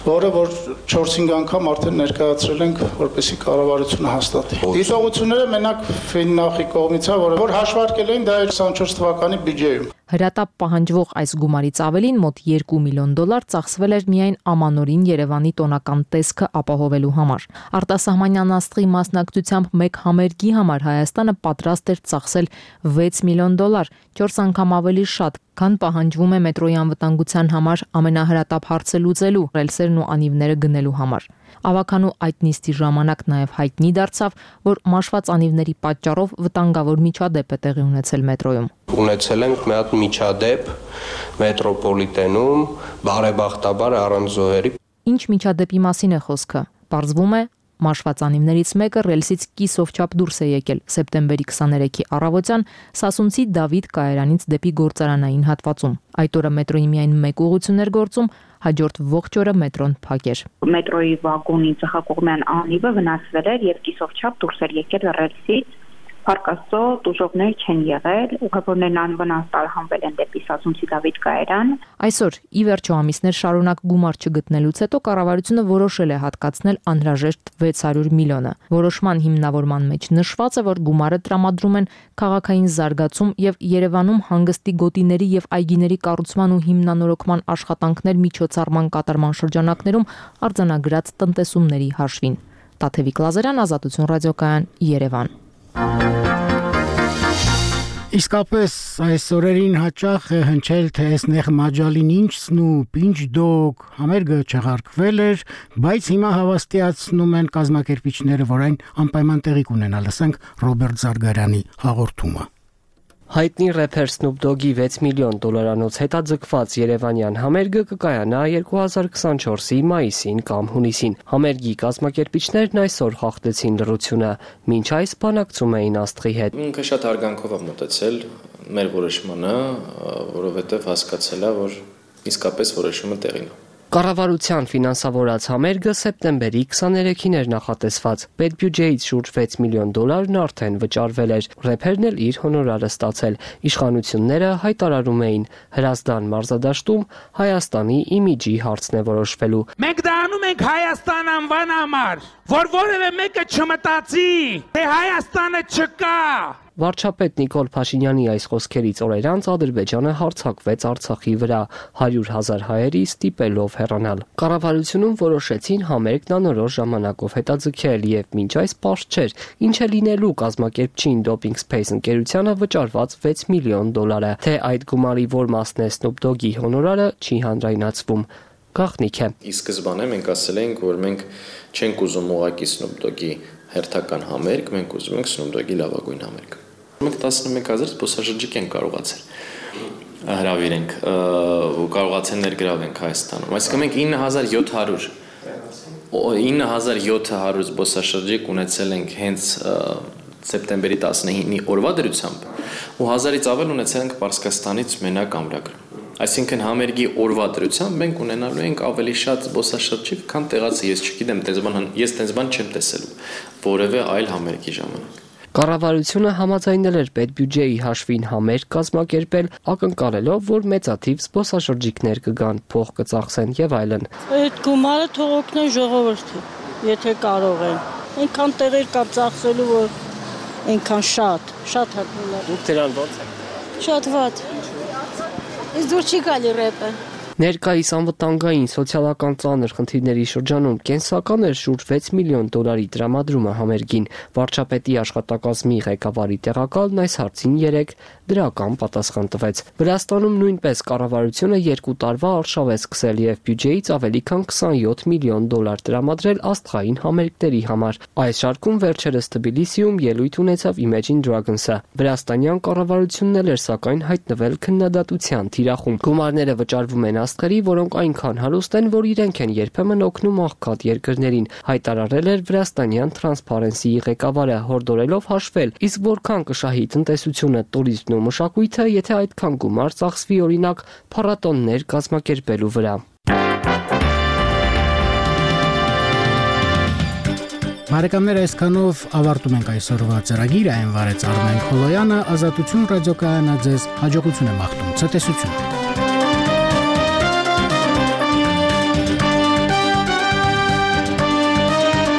որը որ 4-5 անգամ արդեն ներկայացրել ենք, որպեսզի կառավարությունը հաստատի։ Դիտողությունները մենակ Ֆիննախի կողմից է, որ հաշվարկել էին դա 24 թվականի բյուջեում։ Հրատապ պահանջվող այս գումարից ավելին մոտ 2 միլիոն դոլար ծախսվել էր միայն ամանորին Երևանի տոնական տեսքը ապահովելու համար։ Արտասահմանյան աստղի մասնակցությամբ մեկ համերգի համար Հայաստանը պատրաստ էր ծախսել 6 միլիոն դոլար, 4 անգամ ավելի շատ, քան պահանջվում է մետրոյի անվտանգության համար ամենահրատապ հարցը լուծելու, ռելսերն ու անիվները գնելու համար։ Ավականու այդ նիստի ժամանակ նաև հայտնի դարձավ, որ մաշված անիվների պատճառով վտանգավոր միջադեպ է տեղի ունեցել մետրոյում։ Ունեցել ենք մի հատ միջադեպ մետրոպոլիտենում, բարեբախտաբար առանց զոհերի։ Ինչ միջադեպի մասին է խոսքը։ Պարզվում է, մաշված անիվներից մեկը ռելսից կիսով չափ դուրս է եկել սեպտեմբերի 23-ի առավոտյան Սասունցի Դավիթ կայարանից դեպի գործարանային հատվածում։ Այդ օրը մետրոյի միայն մեկ ուղղություն էր գործում, հաջորդ ողջ օրը մետրոն փակ էր։ Մետրոյի վագոնի ծխակողմյան անիվը վնասվել էր եւ կիսով չափ դուրս էր եկել ռելսից։ Փառք Աստծո, տուժողներ չեն եղել, ուղևորներն անվնաս տարհանվել են դեպի Սասունցի Դավիթ կայարան։ Այսօր, ի վերջո ամիսներ շարունակ գումար չգտնելուց հետո կառավարությունը որոշել է հատկացնել անհրաժեշտ 600 միլիոնը։ Որոշման հիմնավորման մեջ նշված է, որ գումարը տրամադրում են քաղաքային զարգացում եւ Երևանում հանգստի գոտիների եւ այգիների կառուցման ու հիմնանորոգման աշխատանքներ միջոցառման կատարման շրջանակներում արձանագրած տնտեսումների հաշվին։ Տաթևիկ Լազարյան, Ազատություն ռադիոկայան, Երևան։ Իսկապես այս օրերին հաճախ է հնչել, թե Էսնեղ Մաջալին ինչն ու պինչ դոգ համերգը չեղարկվել էր, բայց հիմա հավաստիացնում են կազմակերպիչները, որ այն անպայման տեղի կունենա։ Լսենք Ռոբերտ Զարգարյանի հաղորդումը։ Հայտնի рэփեր Snoop Dogg-ի 6 միլիոն դոլարանոց հետաձգված երևանյան համերգը կկայանա 2024-ի մայիսին կամ հունիսին։ Համերգի կազմակերպիչներն այսօր խախտեցին լռությունը, մինչ այս բանակցում էին աստղի հետ։ Ինքը շատ հարգանքով է մոտեցել մեր որոշմանը, որովհետև հասկացել է, որ իսկապես որոշումը տեղին է։ Կառավարության ֆինանսավորած համերգը սեպտեմբերի 23-ին էր նախատեսված։ Պետբյուջեից շուրջ 6 միլիոն դոլարն արդեն վճարվել էր։ Рэփերն էլ իր հոնորարը ստացել։ Իշխանությունները հայտարարում էին, Հրազդան մարզադաշտում Հայաստանի իմիջի հարցն է որոշվելու։ Մենք դա անում ենք Հայաստան անվան համար, որ որևէ մեկը չմտածի, թե Հայաստանը չկա, Վարչապետ Նիկոլ Փաշինյանի այս խոսքերից օրեր անց Ադրբեջանը հարձակվեց Արցախի վրա 100,000 հայերի ստիպելով հեռանալ։ Կառավարությունում որոշեցին համերգն անորոշ ժամանակով հետաձգել եւ մինչ այս պարզ չէր ինչ է լինելու կազմակերպչին Doping Space ընկերությանը վճարված $6 միլիոն, թե այդ գումարի որ մասն է Snoop Dogg-ի հոնորարը չի հանրայնացվում։ Գաղտնիք է։ Ի սկզբանե մենք ասել էինք, որ մենք չենք ուզում ուղղակի Snoop Dogg-ի հերթական համերգ, մենք ուզում ենք Snoop Dogg-ի լավագույն համերգ։ Մենք 11,000 զբոսաշրջիկ ենք կարողացել հրավիրենք ու կարողացել ներգրավենք Հայաստանում։ Այսինքն մենք 9,700 զբոսաշրջիկ ունեցել ենք հենց սեպտեմբերի 19-ի օրվա դրությամբ ու 1000-ից ավել ունեցել ենք Պարսկաստանից մենակ ամրագրում։ Այսինքն համերգի օրվա դրությամբ մենք ունենալու ենք ավելի շատ զբոսաշրջիկ, քան տեղացի։ Ես չգիտեմ, ես տենց բան չեմ տեսել որևէ այլ համերգի ժամանակ։ Կառավարությունը համաձայնել էր պետբյուջեի հաշվին համերգ կազմակերպել, ակնկալելով, որ մեծաթիվ զբոսաշրջիկներ կգան, փող կծախսեն եւ այլն։ Այդ գումարը թող օգնեն ժողովրդին, եթե կարող են։ Այնքան տեղեր կա ծախսելու, որ այնքան շատ հատուկ։ Դուք դրան ո՞նց եք։ Շատ վատ։ Իսկ դուր չի գալի ռեպը։ Ներկայիս անվտանգային սոցիալական ծանր խնդիրների շրջանում կենսական էր շուրջ $6 միլիոն տրամադրումը համերգին։ Վարչապետի աշխատակազմի ղեկավարի տեղակալն այս հարցին 3 դրական պատասխան տվեց։ Վրաստանում նույնպես կառավարությունը 2 տարվա արշավ է սկսել եւ բյուջեից ավելի քան $27 միլիոն տրամադրել աստղային համերգների համար։ Այս շարքում վերջերս Թբիլիսիում ելույթ ունեցավ Imagine Dragons-ը։ Վրաստանյան կառավարությունն էլ էր սակայն հայտնվել քննադատության թիրախում։ Գումարները վճարվում են աստղերի, որոնք այնքան հարուստ են, որ իրենք են երբեմն օգնում աղքատ երկրներին, հայտարարել էր Վրաստանյան Transparency-ի ղեկավարը, հորդորելով հաշվել, իսկ որքան կշահի տնտեսությունը, տուրիզմն ու մշակույթը, եթե այդքան գումար ծախսվի օրինակ փառատոններ կազմակերպելու վրա։ Բարեկամներ, այսքանով ավարտում ենք այսօրվա ծրագիրը, այն վարեց Արմեն Խոլոյանը, Ազատություն ռադիոկայանը ձեզ հաջողություն է մաղթում, ցտեսություն։